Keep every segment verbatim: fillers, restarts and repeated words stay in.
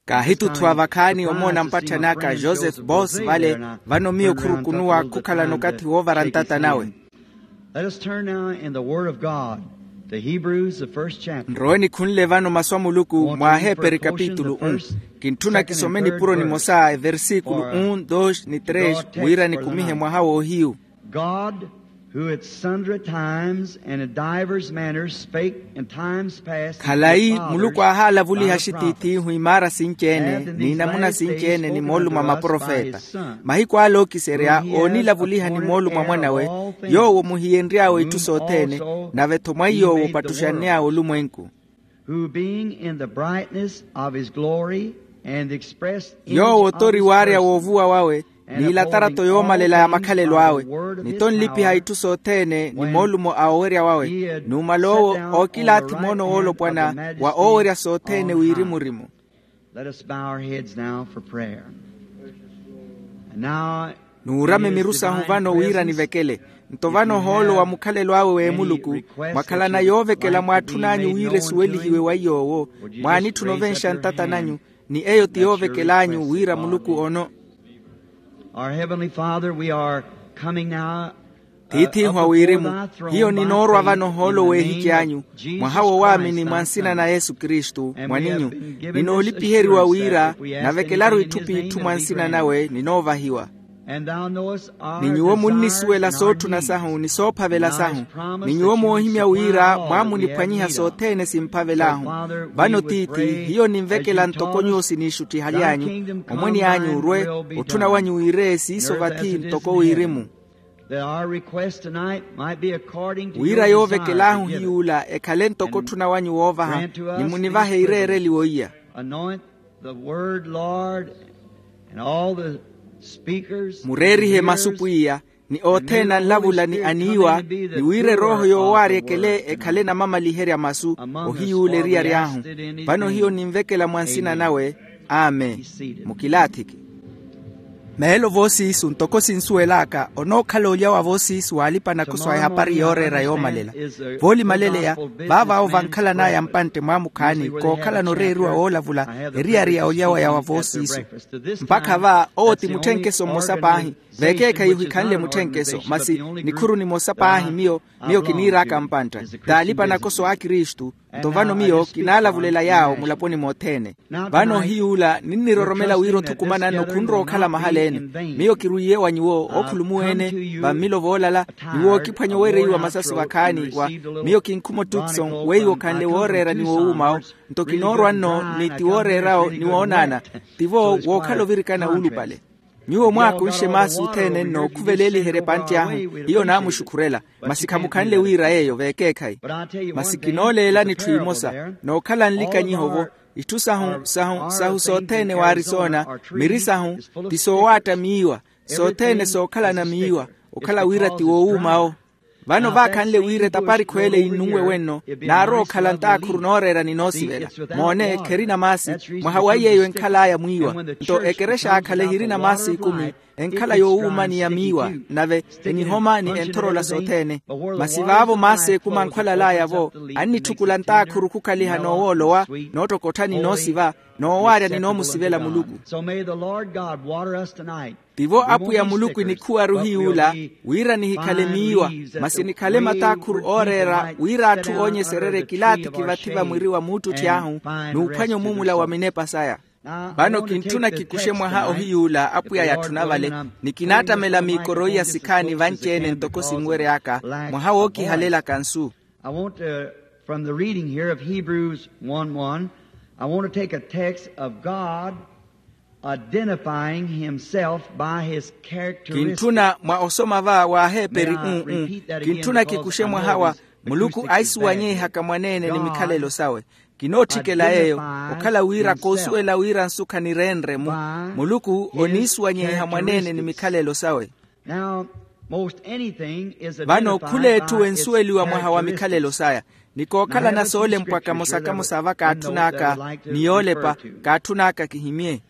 Kaahituthwa vakhaani omoona mpatthani aka joseph bos vale. Vano miyo khurukunuwa khukhalana okathi woovara ntata nawe. Let us turn now in the word of God to Hebrews, the first chapter. Nrowe nikhunle vano masu a muluku mwa aheperi kapitulu um. Kintthuna kisome nipuro nimosa eversikulu um dos ni tres wira nikumihe mwaha woohiyu. God, who at sundry times and in divers manners spake in times past unto the fathers. Khalayi muluku aahalavuliha axitiith'ihu imaara sinci-ene n'inamuna sinci-ene ni moolumo a maprofeta. Mahiku ale ookiserya oonilavuliha ni moolumo a mwanawe, yoowo muhiyenry'awe itthu sothene, nave-tho mwa iy'owo opattuxanny'awe olumwenku. Who being in the brightness of his glory and expressed in yoowo otori waarya woovuwa wawe, n'ilatarato yoomalela ya makhalelo awe, ni tonlipiha itthu sothene ni moolumo a owerya wawe, numala owo ookilaathi moono woolopwana wa owerya sothene wirimu-rimu. Let us bow our heads now for prayer. Nuurame miru sahu vano wira nivekele. Nto vano ohoolo wa mukhalelo awe w'emuluku, mwakhalana yoovekela mwaatthun'anyu wira esuwelihiwe wa iy'owo, mwaanitthuna ovenxa ntata nanyu, ni eyo ti yoovekel'anyu wira muluku ono. Our heavenly father, we are coming now. Tiith'ihu a wirimu, hiyo ninoorwa vano ohoolo w'ehici anyu, mwaha wo waamini mwa nsina na yesu kristu mwaninyu. Ninoolipiheriwa wira navekelaru itthu p'itthu mwa nsina nawe ninoovahiwa. Ni nyuwo munnisuwela sootthuna sahu ni soophavela sahu, ni nyuwo moohimya wira mwaamuniphwanyiha sothene simphavel'ahu. Vano tiithi, hiyo ninvekela ntoko nyuwo siniixuttihaly'anyu, omwene anyu orwe, otthuna wanyu wiire siiso vathi ntoko wirimu. Wira yoovekel'ahu hiy'ula ekhale ntoko otthuna wanyu woovaha, ni munivahe ireereliwo iya. The word, Lord, and all the speakers. Mureerihe masu pwiya, ni othene anlavula ni aniiwa, ni wira erooho yoowaari ekele ekhale namamaliherya masu ohiyuula eriyari ahu. Vano hiyo ninvekela mwa nsina nawe. Amen. Mukilaathiki. Meelo voosiisu ntoko sinsuwel'aka onookhala olya wa voosiisu w'alipa-nakoso a ehapari yooreera yoomalela. Voolimaleleya, vaavaawo vankhalan'aya mpantte mwaamukhaani kookhalana oreeriwa woolavula eriyari ya olyaweya wa voosiisu. Mpakha va owo ti mutthenkeso mmosa paahi. Vekeekhayi ohikhanle mutthenkeso masi nikhuru nimosa paahi miyo miyo kiniir'aka mpantta. T'alipa-nakoso a kristu. Nto vano miyo kinaalavulela yaawo mulaponi mothene. Vano ohiy'ula ninniroromela wira othukumananno khunrowa okhala mahala-ene. Miyo kirwiiye wa nyuwo ookhulumuwa-ene vammilo voolala, ni wookiphwanya owereiwa masasi vakhaani wa. Miyo kinkhuma otukson weiwo khanle wooreera ni woowuuma-wo. Nto kinoorwa nno ni ti wooreera-wo ni woonaana. Tivo wookhala ovirikana wuulupale. Nyuwo mwaakunxe maasi othene nnookhuveleliherya epantti ahu. Hiyo naamuxukhurela. Masi khamukhanle wira yeeyo veekeekhayi. Masi kinooleelani etthu emosa nookhala nlikanyiho-vo. Itthu sahu sahu sahu sothene wa arisona miri sahu ti soowaatta miiwa. Sothene sookhalana miiwa okhala wira ti woowuuma-wo. Vano vaakhanle wira etaparikhu ele yinnunwe wenno naarowa okhala ntaakhuru nooreera ni noosivela. Moone kherina maasi. Mwaha wa iy'eyo enkhal'aya mwiiwa. Nto ekerexa aakhala ehirina maasi ekumi enkhala yoowuuma ni ya miiwa. Nave enihoma ni enthorola sothene. Masi vaavo maasi ekumi ankhwalal'aya-vo annitthukula ntaakhuru khukhaliha noowoolowa noottokottha ni noosiva noowaarya ni noomusivela muluku. Tivo apwiya muluku inikhuwaru hiy'ula wira nihikhale miiwa masi nikhale mataakhuru ooreera wira atthu oonyesererye kilaathiki vathi va mwiri wa muuttutthi ahu n'uphwanya omumula wa minepa saya. Vano kintthuna kikuxe mwaha ohiy'ula apwiya yatthuna vale ni kinaattamela miikoro iya sikhaani vanci-ene ntoko sinwery'aka mwaha wookihalelaka nsu. I want to, from the reading here of Hebrews one one, I want to take a text of God identifying himself by his characteristics. Kintthuna mwa osoma va wa aheperi. Uu. Kintthuna kikuxe mwaha wa muluku aisuwanyeihaka mwaneene ni mikhalelo sawe. Kinootthikela yeeyo okhala wira koosuwela wira nsu khanireenre-mu. Muluku oniisuwanyeiha mwaneene ni mikhalelo sawe. Vano khula etthu ensuweliwa mwaha wa mikhalelo saya ni kookhalana soolempwa kamosa kamosa va kaatthun'aka ni yoolepa kaatthun'aka kihimye.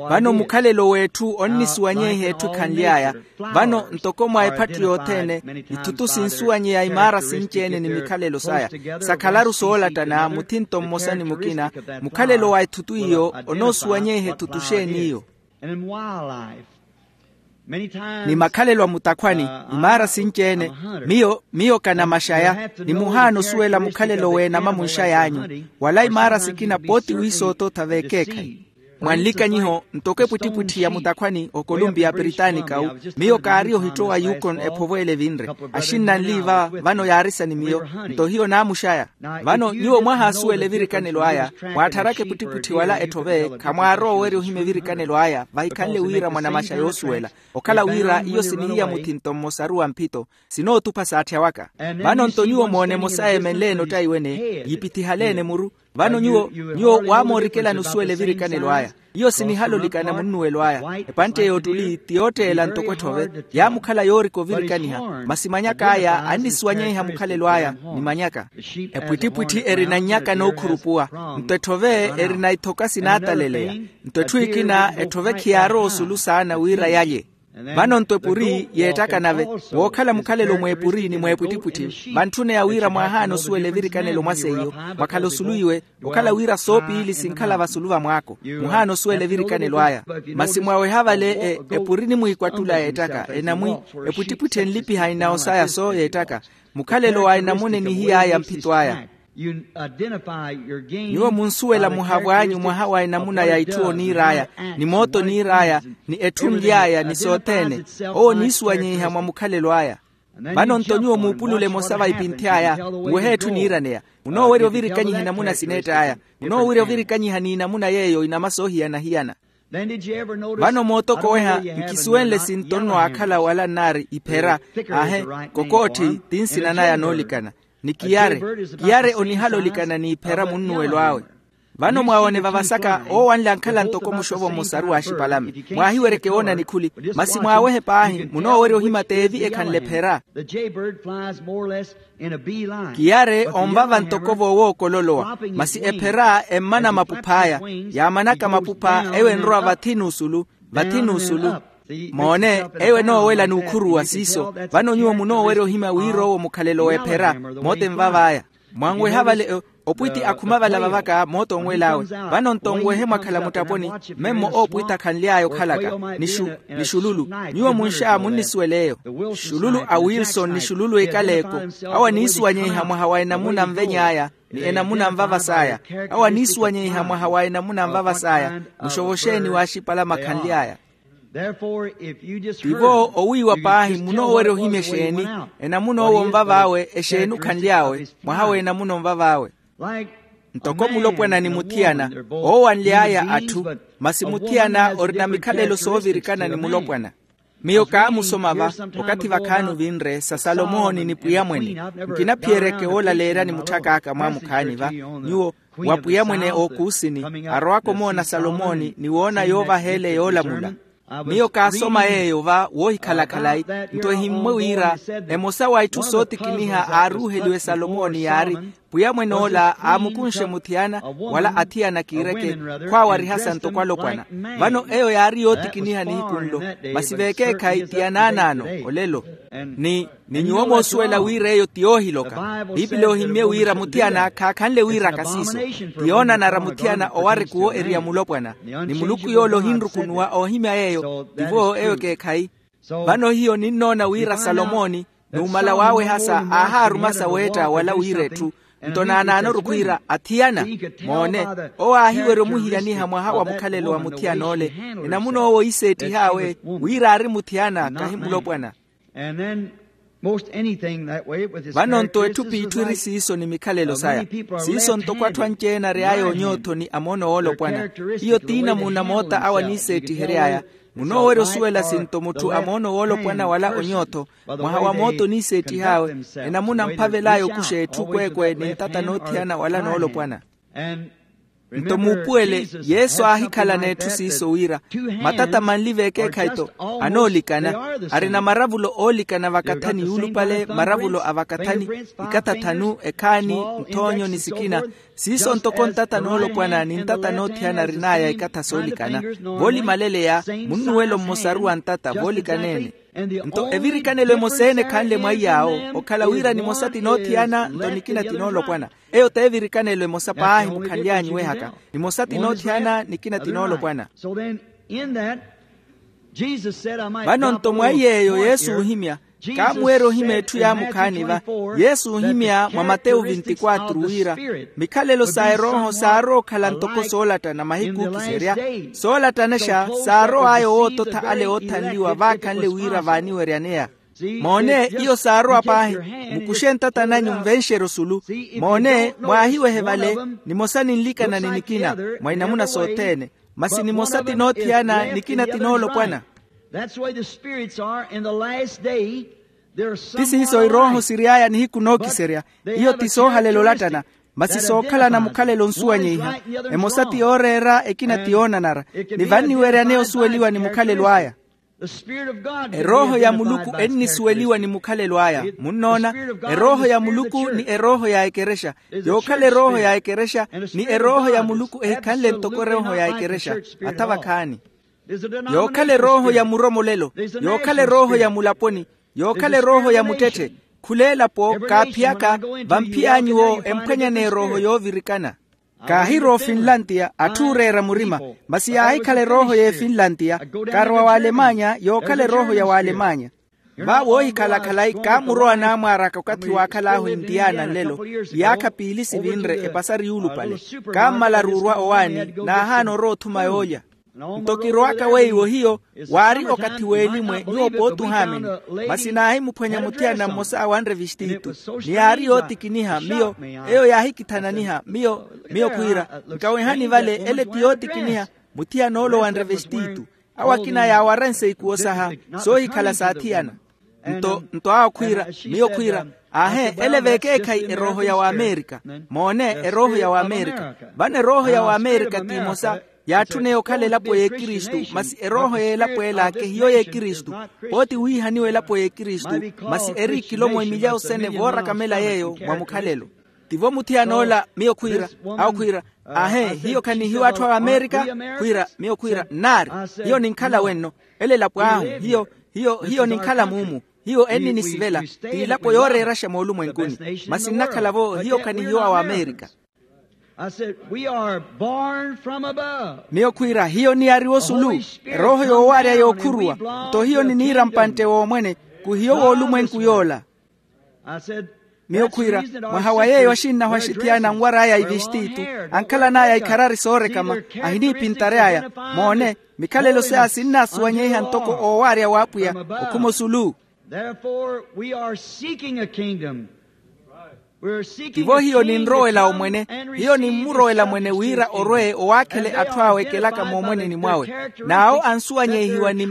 Vano mukhalelo w'etthu onnisuwanyeiha etthu ekhanly'aya. Vano ntoko mwa ephattu yothene, ithutu sinsuwanyeya imaara sinci-ene ni mikhalelo saya. Sakhalaru soolattana muthinto mmosa ni mukina. Mukhalelo wa ithutu iyo onoosuwanyeiha ithutu xeeni iyo? Ni makhalelo a mutakhwani, imaara sinci-ene. Miyo miyo kanamaxaya, ni muhaana osuwela mukhalelo w'enama munxay'anyu. Wala imaara sikina pooti wiisoota ottha v'ekeekhayi. Mwa nlikanyiho ntoko epwittipwitthi ya mutakhwani okolumpiya aperitaanikau, miyo kaari ohittowa yukon ephovo ele evinre. Axinna anli va vano yaarisa ni miyo. Nto hiyo naamuxaya. Vano nyuwo mwahaasuwela evirikanelo aya, mwaattharaka epwittipwitthi wala etthove khamwaarowa owerya ohima evirikanelo aya vahikhanle wira mwanamaxa yoosuwela. Okhala wira iyo sinihiya muthinto mmosaru wa mphito, sinootupha saatthya waka. Vano nto nyuwo moona emosa eemenle-ene ottayi wene, yiipithihale-ene muru. Vano nyuwo nyuwo waamoorikelani osuwela evirikanelo aya. Iyo sinihala olikana munnuwelo aya. Epantte y'ottuli ti yootteela ntoko etthove, yaamukhala yoorika ovirikaniha. Masi manyak'aya annisuwanyeiha mukhalelo aya. Ni manyaka epwittipwitthi erina nnyaka nookhurupuwa, nto etthove erina ithoka sinaataleleya. Nto etthu ekina etthove khiyaarowa osulu saana wira yalye. Vano nto epuri yeettaka nave, wookhala mukhalelo mw'epuri ni mw'epwittipwitthi, vantthune ya wira mwaahaana osuwela evirikanelo mwa seiyo, mwakhala osulu iwe. Okhala wira soopiili sinkhala vasulu va mwaako, muhaana osuwela evirikanelo aya. Masi mwaweha vale epuri nimwiikwattula yeettaka enamwi, epwittipwitthi enlipiha inawo saya soo yeettaka. Mukhalelo wa enamuna enihiy'aya mphito aya. Nyuwo munsuwela muhavo anyu mwaha wa enamuna ya itthu oniir'aya, ni mooto oniir'aya, ni etthu nly'aya ni sothene. Owo oniisuwanyeiha mwa mukhalelo aya. Vano nto nyuwo muupulule emosa va ipinthy'aya, muwehe etthu niiraneya. Munoowerya ovirikanyiha enamuna sineett'aya. Munoowerya ovirikanyiha n'inamuna yeeyo inama soohiyana-hiyana. Vano mootokoweha nkisuwenle sinto nno aakhala wala nnaari iphera. Aahe, kokootthi ti nsina naya noolikana. Ni kiyare, kiyare onihala olikana n'iphera munnuwelo awe. Vano mwaawone vavasaka oowanle ankhala ntoko muxovo mmosaru waaxipalame. Mwaahiweryeke woona nikhuli. Masi mwaawehe paahi munoowerya ohima t'evi ekhanle ephera. Kiyare onvava ntoko voowookololowa. Masi ephera emmana mapuph'aya. Yaamanaka mapupha eyo enrowa vathi n'usulu. Vathi n'usulu. Moone, eyo enoowela n'ukhuruwa siiso. Vano nyuwo munoowerya ohima wira owo mukhalelo w'ephera. Moote nvav'aya. Mwanweha vale. Opwitti akhuma vala vavaka mooto onwel'awe. Vano nto onwehe mwakhala muttaponi. Memmo oopwitti akhanly'aya okhalaka ni xululu. Nyuwo munxa munnisuwel'eyo. Xululu a wilson ni xululu a ikaleeko. Awo aniisuwanyeiha mwaha wa enamuna anveny'aya ni enamuna anvavas'aya. Awo aniisuwanyeiha mwaha wa enamuna anvavas'aya. Muxovo xeeni waaxipala makhanly'aya? Tivo owiiwa paahi munoowerya ohimya exeeni? Enamuna owo onvav'awe exeeni okhanly'awe? Mwaha w'enamuna onvav'awe. Ntoko mulopwana ni muthiyana oowanly'aya atthu. Masi muthiyana orina mikhalelo soovirikana ni mulopwana. Miyo kaamusoma va, okathi vakhaani ovinre sa salomooni ni pwiyamwene. Nkinaphiyereke woolaleeryani mutthak'aka mwaamukhaani va. Nyuwo wa pwiyamwene ookuusini arowaka omoona salomooni ni woona yoovaha ele yoolamula. Miyo kaasoma yeeyo va woohikhala khalayi. Nto ehimmwe wira emosa wa itthu sootikiniha aaruuheliwe salomooni yaari, pwiyamwene ola aamukunxe muthiyana wala athiyana kiireke, khwaawarihasa ntoko alopwana. Vano eyo yaari yootikiniha nihiku nlo. Masi v'ekeekhayi ti yanaanaano olelo. Ni ni nyuwo moosuwela wira eyo ti yoohiloka. Piipili ohimmye wira muthiyana khaakhanle wiiraka siiso. Ti yoonanara muthiyana owarikuwo eriya mulopwana. Ni muluku yoola ohinrukunuwa oohimya yeeyo. Tivo eyo ekeekhayi. Vano hiyo ninnoona wira salomooni numala waawehasa aahaarumasa weetta wala wiira etthu. Nto naanaanoru khwiira athiyana. Moone, owo aahiwerya omuhiyaniha mwaha wa mukhalelo wa muthiyan'ole. Enamuna owo iiseettih'awe wira aari muthiyana kahi mulopwana. Vano nto etthu p'itthu eri siiso ni mikhalelo saya. Siiso ntoko atthu anci-ene ary'aya onyootho ni amoono woolopwana. Hiyo t'inamuuna moota awo aniiseettihery'aya. Munoowerya osuwela sinto mutthu amoono woolopwana wala onyootho. Mwaha wa moota oniiseettih'awe. Enamuna mphavel'aya okuxa etthu kweekwe ni ntata noothiyana wala noolopwana. Nto muupuwele, yesu aahikhalana etthu siiso wira matata manli v'ekeekhayi-to anoolikana. Arina maravulo oolikana vakathani yuulupale maravulo a vakathani, ikatha thanu ekhaani, nthoonyo ni sikina. Siiso ntoko ntata noolopwana ni ntata noothiyana arin'aya ikatha soolikana. Voolimaleleya munnuwelo mmosaru wa ntata voolikana-ene. Nto evirikanelo emosa-ene ekhanle mwaiy'awo, okhala wira nimosa ti noothiyana nto nikina ti noolopwana. Eyo t'evirikanelo emosa paahi mukhanly'anyu wehaka. Nimosa ti noothiyana nikina ti noolopwana. Vano nto mwaiy'eyo yesu oohimya, kaamuweerya ohimya etthu yaamukhaani va. Yesu oohimya mwa matewu vinti-quatro wira mikhalelo sa erooho saarowa okhala ntoko soolattana mahiku ookiserya. Soolattanaxa saarow'aya owoototha ale oothanliwa vaakhanle wira vaaniweryaneya. Moone, iyo saarowa paahi. Mukuxe ntata nanyu nvenxerye osulu. Moone, mwaahiwehe vale, nimosa ninlikana ni nikina mwa inamuna sothene. Masi nimosa ti noothiyana nikina ti noolopwana. Ti siiso irooho siry'aya nihiku nookiserya. Iyo ti soohalela olattana, masi sookhalana mukhalelo onsuwanyeiha. Emosa ti yooreera ekina ti yoonanara. Ni vanniweryaneya osuweliwa ni mukhalelo aya. Erooho ya muluku ennisuweliwa ni mukhalelo aya. Munnoona, erooho ya muluku ni erooho ya ekerexa. Yookhala erooho ya ekerexa ni erooho ya muluku ehikhanle ntoko erooho ya ekerexa. Atha vakhaani. Yookhala erooho ya muromolelo. Yookhala erooho ya mulaponi. Yookhala erooho ya muttetthe. Khula elapo kaaphiyaka. Vamphiy'anyuwo emphwanya n'erooho yoovirikana. Kaahirowa ofinlantiya atthu ooreera murima. Masi yaahikhala erooho y'efinlantiya. Kaarowa w'alemanya yookhala erooho ya w'alemanya. Va woohikhala khalayi kaamurowa naamwaaraka okathi waakhal'ahu intiyana nlelo. Iyaakha piili sivinre epasari yuulupale. Kaammala ruurwa owaani. Naahaana orowa othuma yoolya. Nto kirowaka weiwo hiyo. Waari okathi w'elimwe nyuwo pooti ohaamini. Masi naahimuphwanya muthiyana mmosa wanre vistiitu. Ni yaari yootikiniha miyo. Eyo yaahikithananiha miyo. Miyo khwiira, nkawehani vale ele ti yootikiniha. Muthiyana ole owanre vestiitu. Awo akina yaawaranse ikuwo saha soohikhala saathiyana. Nto nto awo khwiira, miyo khwiira, aahe ele v'ekeekhayi erooho ya w'amerika. Moone, erooho ya w'amerika. Vano erooho ya w'amerika t'imosa. Yaatthuna eyo okhala elapo y'ekristu. Masi erooho y'elapo ela kehiyo y'ekristu. Pooti wiihaniwa elapo y'ekristu. Masi eri ikilomo emilya osene voorakamela yeeyo mwa mukhalelo. Tivo muthiyana ola miyo khwiira. Awo khwiira, ahe hiyo khanihiwa atthu a amerika. Khwiira miyo khwiira nnaari. Hiyo ninkhala wenno. Ele elapo ahu. Hiyo hiyo hiyo ninkhala muumu. Hiyo enninisivela. T'ilapo yooreeraxa moolumwenkuni. Masi nnakhala-vo hiyo khanihiwa wa amerika. Miyo khwiira hiyo niyariwa osulu. Erooho yoowaarya yookhuruwa. Nto hiyo niniira mpantte w'omwene. Khuhiyo w'olumwenku yoola. Miyo khwiira, mwaha wa yeeyo axinnahu axithiyana anwar'aya ivistiitu, ankhalan'aya ikharari soorekama, ahiniipintary'aya. Moone, mikhalelo saya sinnaasuwanyeiha ntoko oowaarya w'apwiya. Okhuma osulu. Tivo hiyo ninrowela omwene. Hiyo nimmurowela mwene wira orwe owaakhele atthu awe ekelaka moomweneni mwawe. N'awo ansuwanyeihiwa ni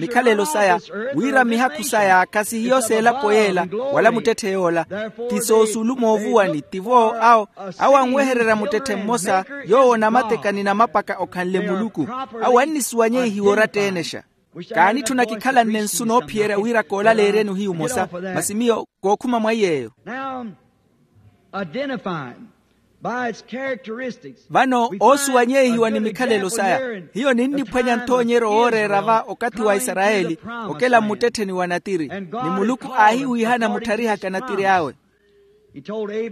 mikhalelo saya, wira mihakhu saya khasihiyo s'elapo yeela, wala muttetthe yoola. Ti soosulu moovuwani tivo awo. Awo anwehererya muttetthe mmosa, yoowo namatekani na mapaka okhanle muluku. Awo annisuwanyeihiwa oratta-enexa. Kaanitthuna kikhalanne nsu noophiyerya wira koolaleeryeni ohiyu omosa. Masi miyo kookhuma mwa iy'eyo. Vano oosuwanyeihiwa ni mikhalelo saya. Hiyo ninniphwanya nthoonyeryo wooreera va okathi wa isarayeli, okela mmuttettheni wa natiri. Ni muluku aahiwiihana muttharihaka natiri awe.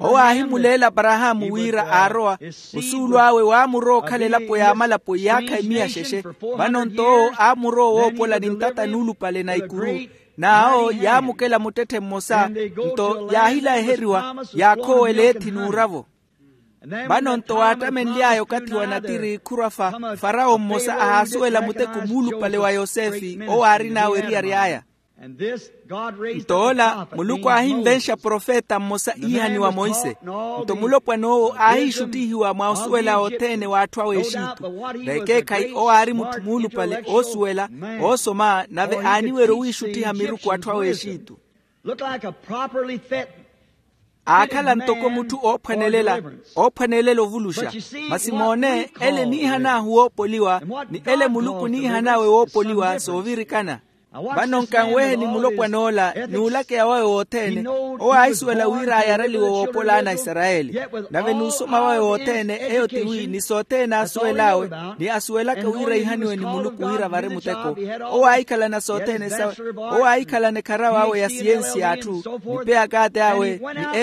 Owo aahimuleela aparahaamu wira aarowa. Osuulu awe waamurowa okhala elapo y'amalapo iyaakha emiya xexe. Vano-nto owo aamurowa owoopola ni ntata nuulupale na ikuru. N'awo yaamukela muttetthe mmosa. Nto yaahilaheriwa, yaakhoowela eethi n'uravo. Vano-nto waattamenly'aya okathi wa natiri khurwa fa, farawo mmosa ahaasuwela muteko muulupale wa yosefe owo aarin'awe eriyari aya. Nto ola muluku aahinvenxa profeta mmosa iihaniwa monse. Nto mulopwana owo aahiixuttihiwa mwa osuwela othene w'atthu awe exitu. Vekeekhayi owo aari mutthu muulupale oosuwela, oosoma nave aaniwerya owiixuttiha miruku atthu awe exitu. Aakhala ntoko mutthu oophwanelela, oophwanelela ovuluxa. Masi moone ele eniihan'ahu woopoliwa, ni ele muluku eniihan'awe woopoliwa soovirikana. Vano nkanweheni mulopwan'ola n'ulakeya wawe wothene. Owo aahisuwela wira ayareliwe woopola ana a isarayeli. Nave n'usoma wawe wothene eyo tiwi ni sothene aasuwel'awe, ni asuwelaka wira ihaniwe ni muluku wira vari muteko. Owo aahikhalana sothene sawe. Owo aahikhalana ekharawa awe ya siyensi y'atthu, ni peyakaati awe,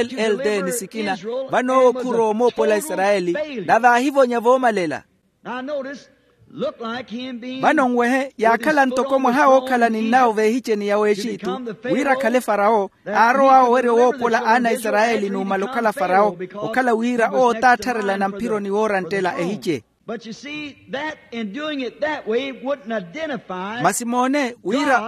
ni ll d ni sikina. Vano owo khurowa omoopola isarayeli, nave aahivonya voomalela. Vano nwehe yaakhala ntoko mwaha wookhala ni nnawo v'ehiceni ya w'exitu, wira akhale farawo. Aarowa owerya owoopola ana a isarayeli numala okhala farawo, okhala wira owo taattharelana mphironi wooranttela ehice. Masi moone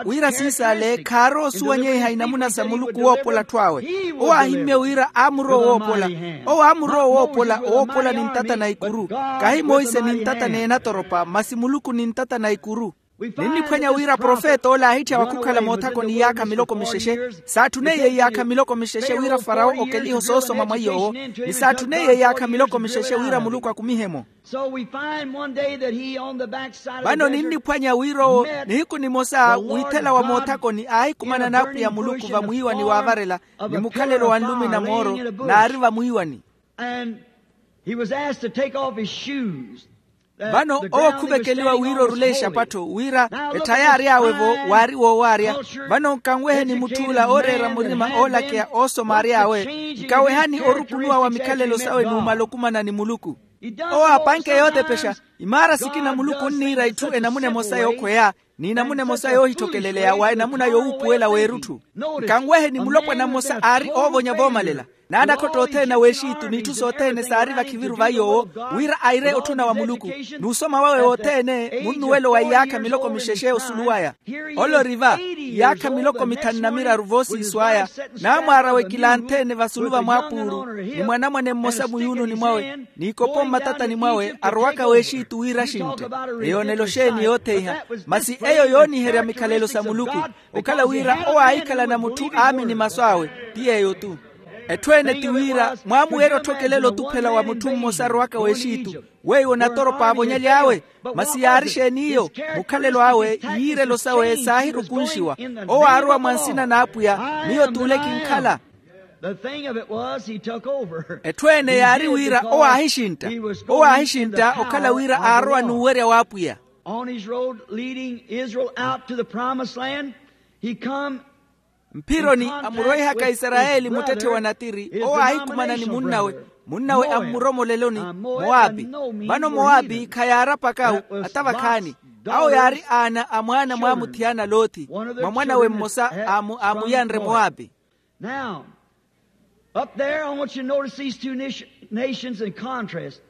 wira siisaale khaaroosuwanyeiha inamuna sa muluku woopola atthu awe. Owo aahimmye wira aamurowa owoopola. Owo aamurowa owoopola owoopola ni ntata na ikuru. Kahi monse ni ntata n'enatoropa masi muluku ni ntata na ikuru. Ninniphwanya wira profeta ole aahitthya wakhukhala moothakoni iyaakha miloko mixexe. Saatthuneiye iyaakha miloko mixexe wira farawo okelihe osoosoma mwa iy'owo. Ni saatthuneiye iyaakha miloko mixexe wira muluku akumihe-mo. Vano ninniphwanya wira owo nihiku nimosa wiithela wa moothakoni aahikumana n'apwiya muluku vamwiiwani waavarela, ni mukhalelo wa nlumi na mooro, n'ari vamwiiwani. Vano owo khuvekeliwa wira orule exapattho wira etthaya aary'awe-vo waari woowaarya. Vano nkanweheni mutth'ula ooreera murima oolakeya oosoma aary'awe. Nkawehani orukunuwa wa mikhalelo sawe numala okumana ni muluku. Owo aapanke yootepexa. Imaara sikina muluku onniira itthu enamuna emosa yookhweya, n'inamuna emosa yoohithokeleleya wa enamuna yowuupuwela w'erutthu. Nkanweheni mulopwana mmosa aari oovonya voomalela. N'anakhotta othene a w'exitu n'itthu sothene saari vakhiviru va yoowo, wira aire otthuna wa muluku. N'usoma wawe wothene munnuwelo wa iyaakha miloko mixexe osulu waya. Ole ori va iyaakha miloko mithanu na miraru voosiiso aya. Naamwaara wekila anthene vasulu va mwaapuuru, ni mwanamwane mmosa muyuununi mwawe, n'ikopo mmatatani mwawe arowaka w'exitu wira axintte. Eyoonelo xeeni yootheiha? Masi eyo yooniherya mikhalelo sa muluku. Okhala wira owo aahikhalana mutthu aamini masu awe. Ti yeeyo-tu. Etthu ene ti wira mwaamuweerya otthokelela otuphela wa mutthu mmosa arowaka w'exitu. Weiwo natoropa aavonyaly'awe. Masi yaari xeeni iyo? Mukhalelo awe, yiirelo sawe saahirukunxiwa. Owo aarowa mwa nsina n'apwiya. Miyo t'ule kinkhala. Etthu ene yaari wira owo aahixintta. Owo aahixintta okhala wira aarowa n'uwerya w'apwiya. On his road leading Israel out to the promised land, he come. Mphironi amuroihaka isarayeli muttetthe wa natiri owo aahikumana ni munnawe. Munnawe a mmuromoleloni, mowapi. Vano mowapi khayaarapaka awo atavakhaani. Awo yaari aana a mwaana mwaamuthiyana loothi, mwa mwanawe mmosa aamuyanre mowapi. Now, up there I want you to notice these two nations in contrast.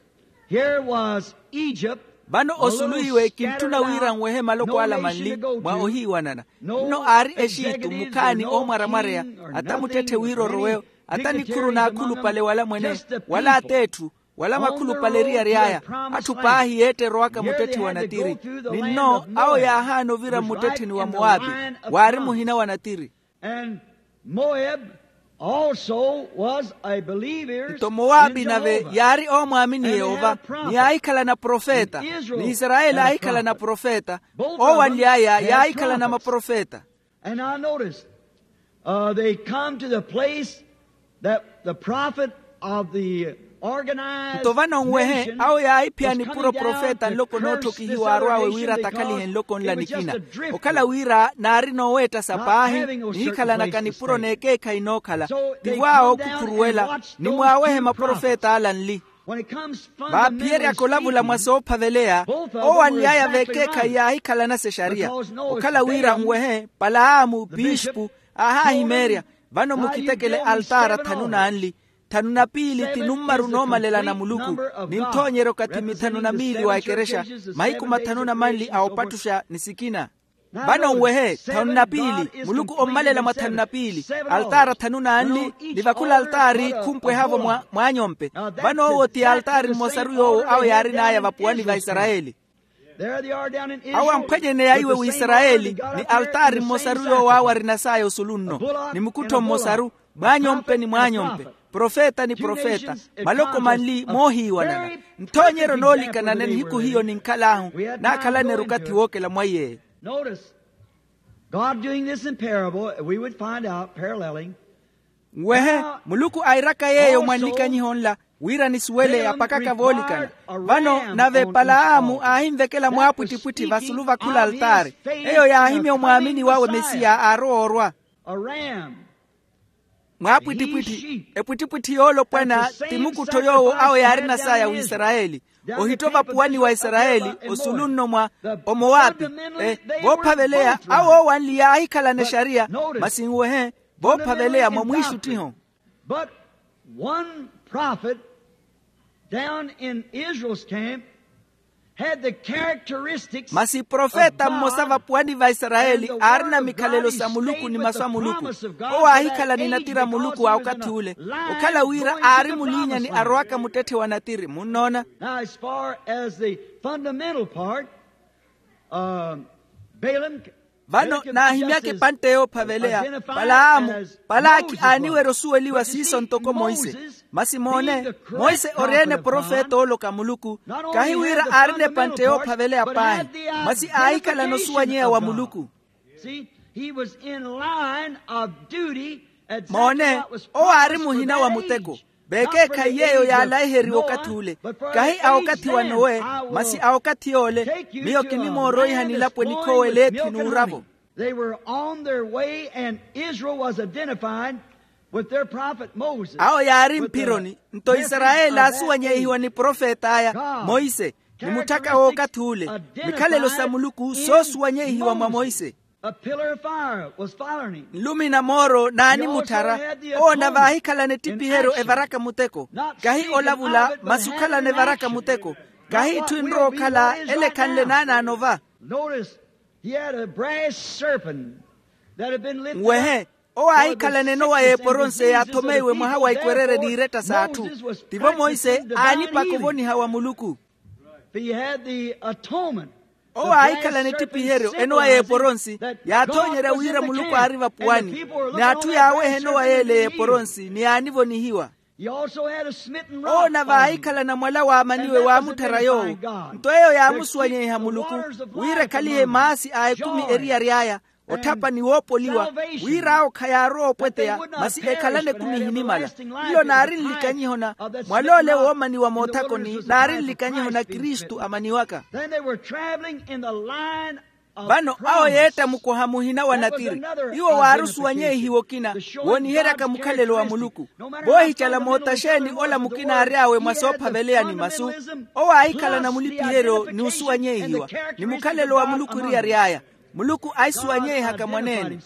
Here was Egypt. Vano osulu iwe kintthuna wira nwehe maloko ala manli mwa ohiiwanana. Nno aari exitu mukhaani oomwaramwareya, ata muttetthe wira orowe, ata nikhuru n'akhulupale wala mwene, wala at'etthu, wala makhulupale eriyari aya. Atthu paahi yeetterowaka muttetthe wa natiri. Ni nno awo yaahaana ovira mmuttettheni wa mowapi, waari muhina wa natiri. And Moab also was a believer. Nto mowapi nave yaari oomwaamini yehova, ni yaahikhalana profeta. Ni isarayeli aahikhalana profeta. Owanly'aya yaahikhalana maprofeta. And now notice, uh, they come to the place that the prophet of the organized nto vano nwehe awo yaahiphiyani puro profeta nloko nootthokihiwa arw'awe wira atakhalihe nloko nla nikina. Okhala wira naari nooweettasa paahi, nihikhalanaka nipuro n'ekeekhayi nookhala. Tivo awo khukhuruwela ni mwaawehe maprofeta ala nli. Vaaphiyeryaka olavula mwa soophaveleya, owanly'aya v'ekeekhayi yaahikhalana sexariya. Okhala wira nwehe palaamu pispu aahaahimeerya. Vano mukitekele altaara thanu na nli. Thanu na piili ti nummaru noomalela na muluku, ni nthoonyeryo kathi mithanu na miili wa ekerexa, mahiku mathanu na manli a opattuxa ni sikina. Vano nwehe thanu na piili muluku ommalela mwa thanu na piili. Altaara thanu na nli, ni vakhula altaari khumpweha-vo mwaanyompe. Vano owo ti altaari mmosaru yoowo awo yaarin'aya vapuwani va isarayeli. Awo amphwanyeneya iwe w'isarayeli, ni altaari mmosaru yoowo awo arinas'aya osulu nno, ni mukuttho mmosaru, mwaanyompe ni mwaanyompe. profeta ni profeta, maloko manli moohiiwanana. Nthoonyeryo noolikanana nihiku hiyo ninkhal'ahu, naakhalane-ru okathi wookela mwaiy'eyo. Notice, God doing this in parable, we would find out, paralleling. Nwehe, muluku airaka yeeyo mwa nlikanyiho nla, wira nisuwele apakaka voolikana. Vano nave palaamu aahinvekela mwaapwittipwitthi vasulu va khula altaari. Eyo yaahimya omwaamini wawe mesiya aarowa orwa. Mwaapwittipwitthi, epwittipwitthi yoolopwana ti mukuttho yoowo awo yaarina saya w'isarayeli, ohitto vapuwani wa isarayeli, osulu nno mwa omowapi. Voophaveleya awo oowanli yaahikhalana exariya, masi nwehe, voophaveleya mwa mwiixuttiho. But one prophet down in Israel's camp had the characteristics. Masi profeta mmosa vapuwani va isarayeli aarina mikhalelo sa muluku ni masu a muluku, owo aahikhala ni natira a muluku a okathi ule, okhala wira aari muliinyani arowaka muttetthe wa natiri munnoona. Now as far as the fundamental part, um, Balaam. Vano naahimyaka epantte yoophaveleya. Palaamu, palaaki aaniwerya osuweliwa siiso ntoko monse. Masi moone, monse ori-ene profeta ooloka muluku, kahi wira aarina epantte yoophaveleya paahi, masi aahikhalana osuwanyeya wa muluku. Moone, owo aari muhina wa muteko. Veekeekhayi yeeyo yaalaiheriwa okathi ule, kahi a okathi wa nowe, masi a okathi yoole. Miyo kinimooroiha nilapo enikhoowa eleethi n'uravo. They were on their way and Israel was identified with their prophet Moses. Awo yaari mphironi, nto isarayeli aasuwanyeihiwa ni profet'aya monse, ni mutthaka w'okathi ule. Mikhalelo sa muluku soosuwanyeihiwa mwa monse. A pillar of fire was following him. Nlumi na mooro naanimutthara. Owo nave aahikhalana ettipiheryo evaraka muteko, kahi olavula masi okhalana evaraka muteko, kahi itthu enrowa okhala ele ekhanle naanaano va. Notice, he had a brass serpent that had been lifted up. Nwehe, owo aahikhalana enowa y'eporonse yaathomeiwe mwaha wa ikwerere n'iretta s'atthu. Tivo monse aanipaka ovoniha wa muluku. He had the atonement. Owo aahikhalana ettipiheryo enowa y'eporonsi yaathoonyerya wira muluku aari vapuwani, ni atthu yaaweha enowa y'ele y'eporonsi ni yaanivonihiwa. Owo nave aahikhalana mwala waamaniwe waamutthara yoowo. Nto eyo yaamusuwanyeiha muluku, wira ekhalihe maasi a ekumi eriyari aya, otthapa ni woopoliwa, wira awo khayaarowa opweteya masi ekhalane ekumi ehinimala. Nlo naari nlikanyiho na mwal'ole woomaniwa moothakoni naari nlikanyiho na kristu amaniwaka. Vano awo yeetta mukoha muhina wa natiri. Iwo waari osuwanyeihiwa okina wooniheryaka mukhalelo wa muluku. Voohicala moota xeeni ola mukina aary'awe mwa soophaveleya ni masu? Owo aahikhalana mulipiheryo ni osuwanyeihiwa, ni mukhalelo wa muluku eriyari aya. Muluku aahisuwanyeihaka mwaneene.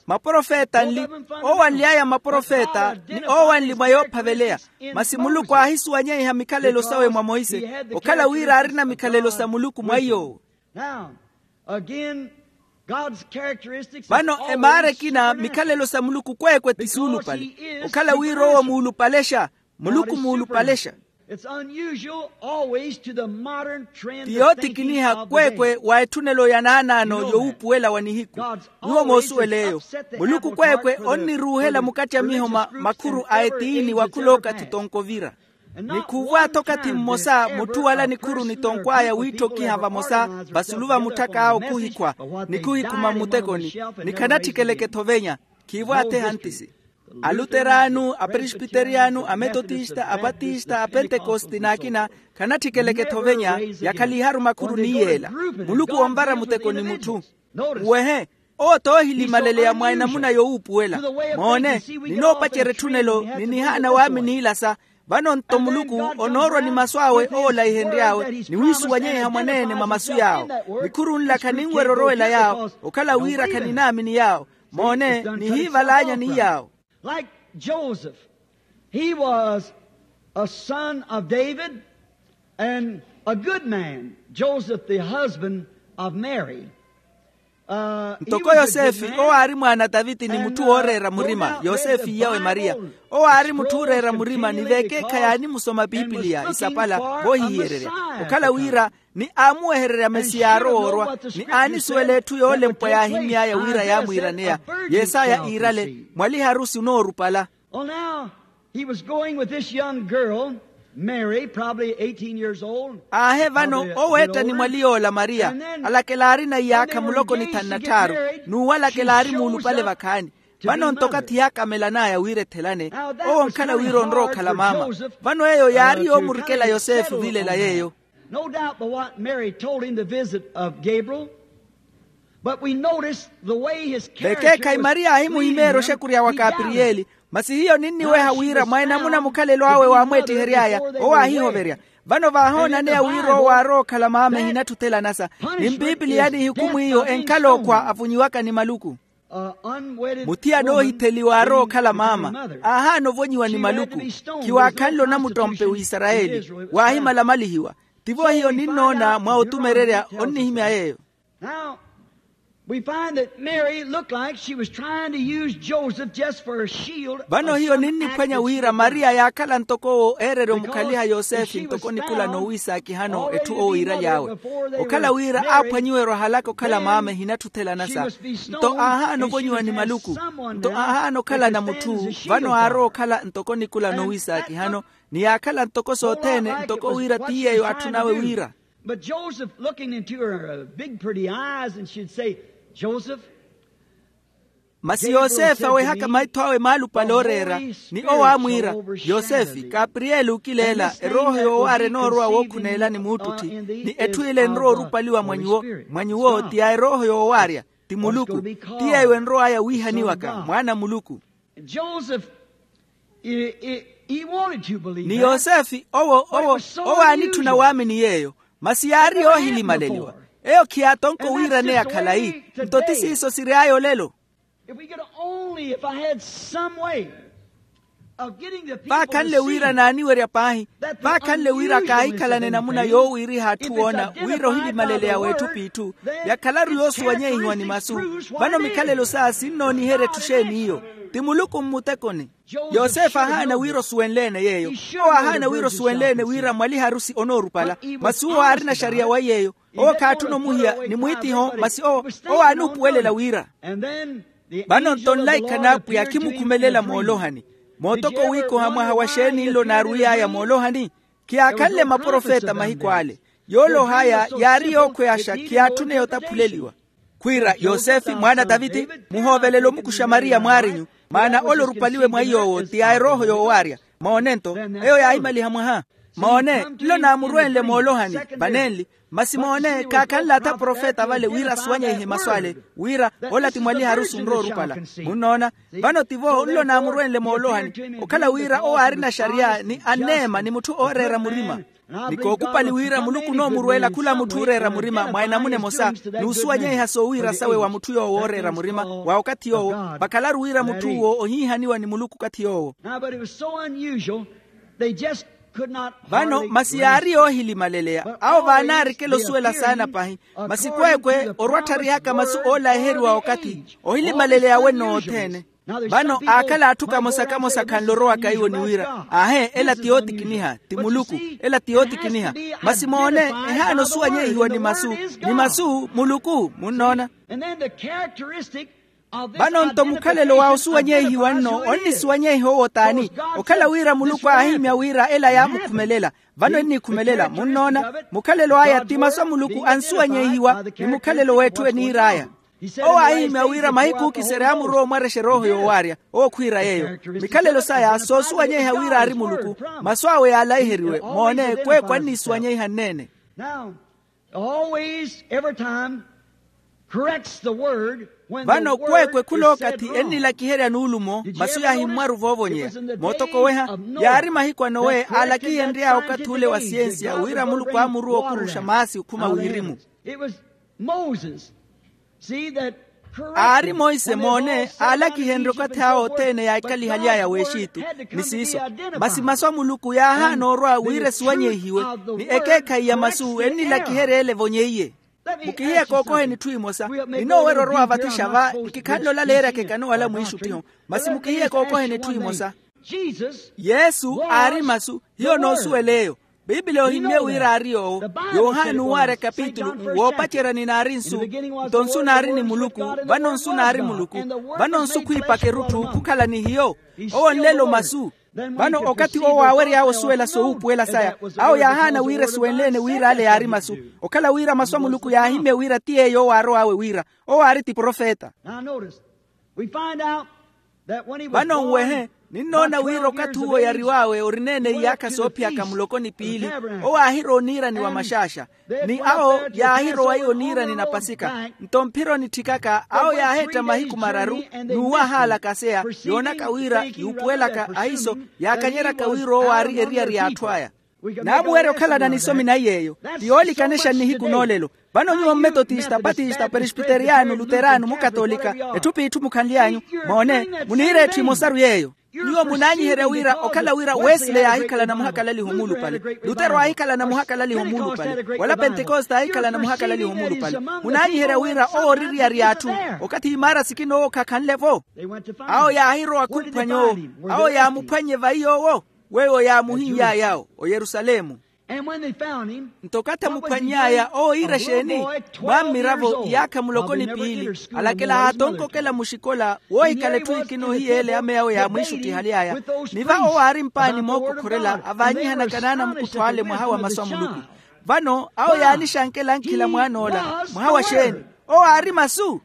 Maprofeta nli, oowanly'aya maprofeta ni oowanli mwa yoophaveleya. Masi muluku aahisuwanyeiha mikhalelo sawe mwa monse, okhala wira aarina mikhalelo sa muluku mwa iy'owo. Vano emaara ekina mikhalelo sa muluku kweekwe ti suulupale. Okhala wira owo muulupalexa, muluku muulupalexa. Ti yoottikiniha kweekwe wa etthunelo ya naanaano yowuupuwela wa nihiku. Nyuwo moosuwel'eyo, muluku kweekwe onniruuhela mukattya miho ma makhuru a etiini wa khul'okathi tonko ovira. Ni khuuvw'atho okathi mmosa mutthu wala nikhuru ni tonkw'aya wiitthokiha vamosa vasulu va mutthak'awe okhuhikhwa, ni khuhikhuma mmutekoni, ni khanatthikelekettho ovenya. Khiivw'athe ehantisi. Aluteranu, apresbiteriyanu, ametotista, abatista, apentekosti n'akina khanatthikelekettho ovenya. Yakhaliharu makhuru ni yeela. Muluku onvara muteko ni mutthu. Uwehe, owo t'ohilimaleleya mwa enamuna yowuupuwela. Moone, ninoopacerya etthunelo ni nihaana waaminiilasa. Vano nto muluku onoorwa ni masu awe oolaihenry'awe ni wiisuwanyeiha mwaneene mwa masu yaawo. Nikhuru nla khaninwerya orowela yaawo, okhala wira khaninaamini yaawo. Moone, nihiival'anyani yaawo. Like Joseph, he was a son of David and a good man, Joseph the husband of Mary. Ntoko yosefe owo aari mwaana a taviti ni mutthu wooreera murima yosefe iyawe mariya. Owo aari mutthu ooreera murima ni veekeekhayi aanimusoma pipiliya isapala voohihiyererya okhala wira ni aamuwehererya mesiya aarowa orwa ni aanisuwela etthu yoolempwa yaahimmy'aya wira yaamwiiraneya. Yesaya iirale mwaliharusi onoorupala. Well now, he was going with this young girl, Mary, probably eighteen years old. Aahe vano oweetta ni mwali yoola mariya alakela aarina iyaakha muloko ni thanu na tthaaru n'uwo alakela aari muulupale vakhaani. Vano nto okathi yaakamelan'aya wira ethelane owo onkhala wira onrowa okhala maama. Vano eyo yaari yoomurikela yosefe ovilela yeeyo. No doubt but what Mary told him the visit of Gabriel. But we notice the way his character vekeekhayi mariya aahimuhimeerya oxekurya wa kapiriyeli. Masi hiyo ninniweha wira mwa enamuna mukhalelo awe waamweettihery'aya owo aahihoverya. Vano vaahoonaneya wira owo aarowa okhala maama ehinatthi othelanasa ni mpipiliya n'ihukumu iyo enkhala okhwa avonyiwaka ni maluku. Muthiyana oohitheliwa aarowa okhala maama aahaana ovonyiwa ni maluku. Khiwaakhanle onamuttompe w'isarayeli waahimala omalihiwa. Tivo hiyo ninnoona mwa otumererya onnihimya yeeyo. Now we find that Mary looked like she was trying to use Joseph just for a shield. Vano hiyo ninniphwanya wira mariya yaakhala ntoko owo eererya omukhaliha yosefe ntoko nikula noowiisaakihano etthu owo iiraly'awe okhala wira aaphwanyiwerya ohalaka okhala maama ehinatthi othelanasa. Nto aahaana ovonyiwa ni maluku nto aahaana okhalana mutthu. Vano aarowa okhala ntoko nikula noowiisaakihano ni yaakhala ntoko sothene ntoko wira ti yeeyo atthu nawe wira. But Joseph looking into her big pretty eyes and she'd say, Joseph. Masi yosefe awehaka maitho awe maalupale ooreera ni owo aamwiira, yosefe kapiriyeli okileela erooho yoowaarya enoorowa wookhuneela ni muuttutthi ni etthu ile enrowa orupaliwa mwa nyuwo mwa nyuwo ti ya erooho yoowaarya ti muluku ti yeeyo enrow'aya wiihaniwaka mwaana a muluku. Joseph, he wanted to believe ni yosefe owo owo owo aanitthuna waamini yeeyo. Masi yaari yoohilimaleliwa eyo khiyaatonko wiiraneya khalayi. Nto ti siiso siry'aya olelo. If we could only if I had some way of getting the people to see vaakhanle wira naaniwerya paahi vaakhanle wira kaahikhalana enamuna yoowiiriha atthu woona wira ohilimaleleya w'etthu p'itthu yakhalaru yoosuwanyeihiwa ni masu. Vano mikhalelo saya sinnooniherya etthu xeeni iyo ti muluku mmutekoni. Yosefe aahaana wira osuwenle-ene yeeyo owo aahaana wira osuwenle-ene wira mwaliharusi onoorupala masi owo aarina xariya wa yeeyo owo khaatthuna omuhiya ni mwiitiho masi owo owo aanuupuwelela wira. Vano nto nlaikha n'apwiya khimukhumelela moolohani mootoko wiikoha mwaha wa xeeni nlo naarwiy'aya moolohani. Khiyaakhanle maprofeta mahiku ale yooloh'aya yaari yookhweyaxa khiyaatthune yotaphuleliwa. Khwiira yosefe mwaana a taviti muhoovelela omukuxa mariya mwaarinyu maana ole orupaliwe mwa iy'owo ti ya erooho yoowaarya. Moone nto eyo yaahimaliha mwaha moone nlo naamurwenle moolohani vanenli. Masi moone khaakhanle atha profeta vale wira asuwanyeihe masu ale wira ola ti mwaliharusi onrowa orupala. Munnoona vano tivo nlo naamurwenle moolohani okhala wira owo aarina xariya ni anneema ni mutthu ooreera murima ni kookupali wira muluku onoomurweela khula mutthu ooreera murima mwa enamuna emosa n'usuwanyeiha soowiira sawe wa mutthu yoowo ooreera murima wa okathi yoowo vakhalaru wira mutthu uwo ohiihaniwa ni muluku okathi yoowo. Now but it was so unusual they just could not vano masi yaari yoohilimaleleya awo vaanaarikela osuwela saana pahi. Masi kweekwe orwattharihaka masu oolaiheriwa okathi ohilimaleleya wenno othene. Vano aakhala atthu kamosa-kamosa khanle orowaka iwo ni wira aahe ela ti yootikiniha ti muluku ela ti yootikiniha. Masi moone ehaana osuwanyeihiwa ni masu ni masu muluku munnoona. Vano nto mukhalelo wa osuwanyeihiwa nno onnisuwanyeiha owo t'ani? Okhala wira muluku aahihimya wira ela yaamukhumelela vano ennikhumelela munnoona. Mukhalelo aya ti masu a muluku ansuwanyeihiwa ni mukhalelo w'etthu eniir'aya. Owo aahihimya wira mahiku ookiserya aamurowa omwarexa erooho yoowaarya. Owo khwiira yeeyo mikhalelo saya soosuwanyeiha wira aari muluku masu awe yaalaiheriwe moone kweekwe annisuwanyeiha nneene. Now always every time corrects the word. Vano kweekwe khula okathi ennilakiherya nuulumo masu yaahimmwaru voovonyeya mootokoweha. Yaari mahiku a nowe aalakihenry'aya okathi ule wa siyensiya wira muluku aamuruwa okuruxa maasi okhuma wirimu. It was moses. Aari monse moone aalakihenrye okathi awe othene yaahikalihaly'aya w'exitu ni siiso. Masi masu a muluku yaahaana orwa wira esuwanyeihiwe ni ekeekhayi ya masu ennilakiherya ele evonyeiye. Mukihiye kookoheni etthu emosa. Ninoowerya orowa vathixa va, nkikhanle olaleeryaka ekano wala mwiixuttiho. Masi mukihiye kookoheni etthu emosa. Yesu aari masu. Hiyo noosuwela eyo. Piipili ohimmye wira aari yoowo. Yohani uuwaarya kapitulu, woopacerya ni naari nsu. Nto nsu naari ni muluku. Vano nsu naari muluku. Vano nsu khwiipaka erutthu khukhala ni hiyo. Owo nlelo masu. Vano okathi owo aawery'awe osuwela sowuupuwela saya, awo yaahaana wira esuwenle-ene wira ale yaari masu. Okhala wira masu a muluku yaahimmye wira ti yeeyo owo aarow'awe wira. Owo aari ti profeta. Vano nwehe, ninnoona wira okathi uwo yariw'awe orina-ene iyaakha soophiyaka muloko ni piili. Owo aahirowa oniirani wa maxaaxa. Ni awo yaahirowa iyo oniirani na pasika. Nto mphira onitthikaka awo yaaheetta mahiku mararu, n'uwo ahaalakaseya, yoonaka wira yuupuwelaka ahiiso, yaakanyeryaka wira owo aari eriyari y'atthu aya. Naamuwerya okhalana nisomi nayi yeeyo. Ti yoolikanexa nnihiku noolelo. Vano nyuwo mmetotista, patista, peresbiteriyano, luterano, mukatolika, etthu p'itthu mukhanly'anyu, moone, muniira etthu emosaru yeeyo. Nyuwo munaanyiherya wira okhala wira wesile yaahikhala namuhakalaliha omuulupale, lutero aahikhala namuhakalaliha omuulupale, wala pentekoste aahikhala namuhakalaliha omuulupale. Munaanyiherya wira owo ori eriyari y'atthu. Okathi imaara sikina owo khakhanle-vo. Awo yaahirowa khumphwanya owo. Awo yaamuphwannye vayi yoowo. Weiwo yaamuhinny'ay'awo oyerusalemu. Nto okathi amuphwanny'aya owo iira exeeni? Mwaammiravo iyaakha muloko ni piili, alakela haatonka okela muxikola woohikhala etthu ekina ohiyeele ameya awe yaamwiixuttihaly'aya. Ni va owo aari mpaani mookokhorela avaanyihana kanaana mukuttho ale mwaha wa masu a muluku. Vano awo yaanixankela ankhila mwaan'ola. Mwaha wa xeeni? Owo aari masu.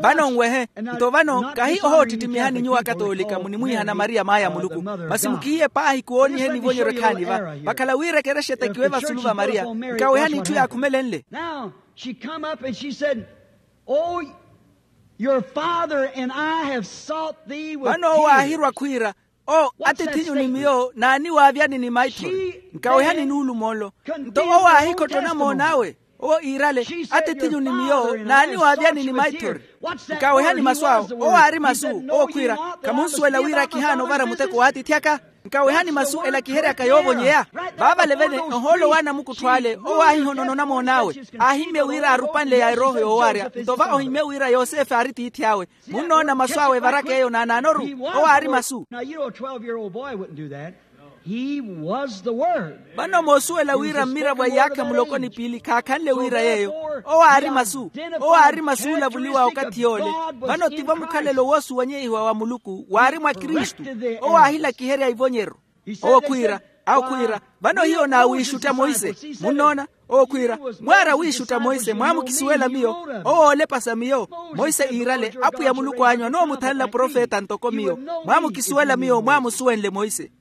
Vano nwehe. Nto vano kahi ohoottittimiha ni nyuwo akatoolika munimwiihana mariya maaya a muluku. Masi mukihiye paahi kuwooniheni ivonyeryo ekhaani va. Vakhala wira ekerexa etekiwe vasulu va mariya. Nkawehani itthu yaakhumelenle. Vano owo aahirwa khwiira, o atiith'inyu ni miyo naaniwaavyani ni maithori. Nkawehani nuulumo nlo. Nto owo aahikhotto namoon'awe. Owo iirale, atiith'inyu ni miyo naaniwaavyani ni maithori. Nkawehani masu awo. Owo aari masu. Owo khwiira, khamunsuwela wira kihaana ovara muteko w'atiithi aka? Nkawehani masu ela kiheryaka yoovonyeya. Vaavale vene ohoolo w'anamukuttho ale owo aahihonono namoon'awe. Aahimmye wira aarupanle ya erooho yoowarya. Nto va ohimmye wira yosefe aari tiithi awe. Munnoona masu awe evaraka eyo naanaanoru. Owo aari masu. Vano moosuwela wira mmiravo a iyaakha muloko ni piili khaakhanle wira yeeyo. Owo aari masu. Owo aari masu oolavuliwa okathi yoole. Vano tivo mukhalelo woosuwanyeihiwa wa muluku waari mwa kristu. Owo aahilakiherya ivonyeryo. Owo khwiira, awo khwiira, vano hiyo naawiixutta monse. Munnoona? Owo khwiira, mwaara wiixutta monse mwaamukisuwela miyo. Owo oolepasa miyo. Monse iirale apwiya muluku anyu anoomuthanla profeta ntoko miyo. Mwaamukisuwela miyo mwaamusuwenle monse.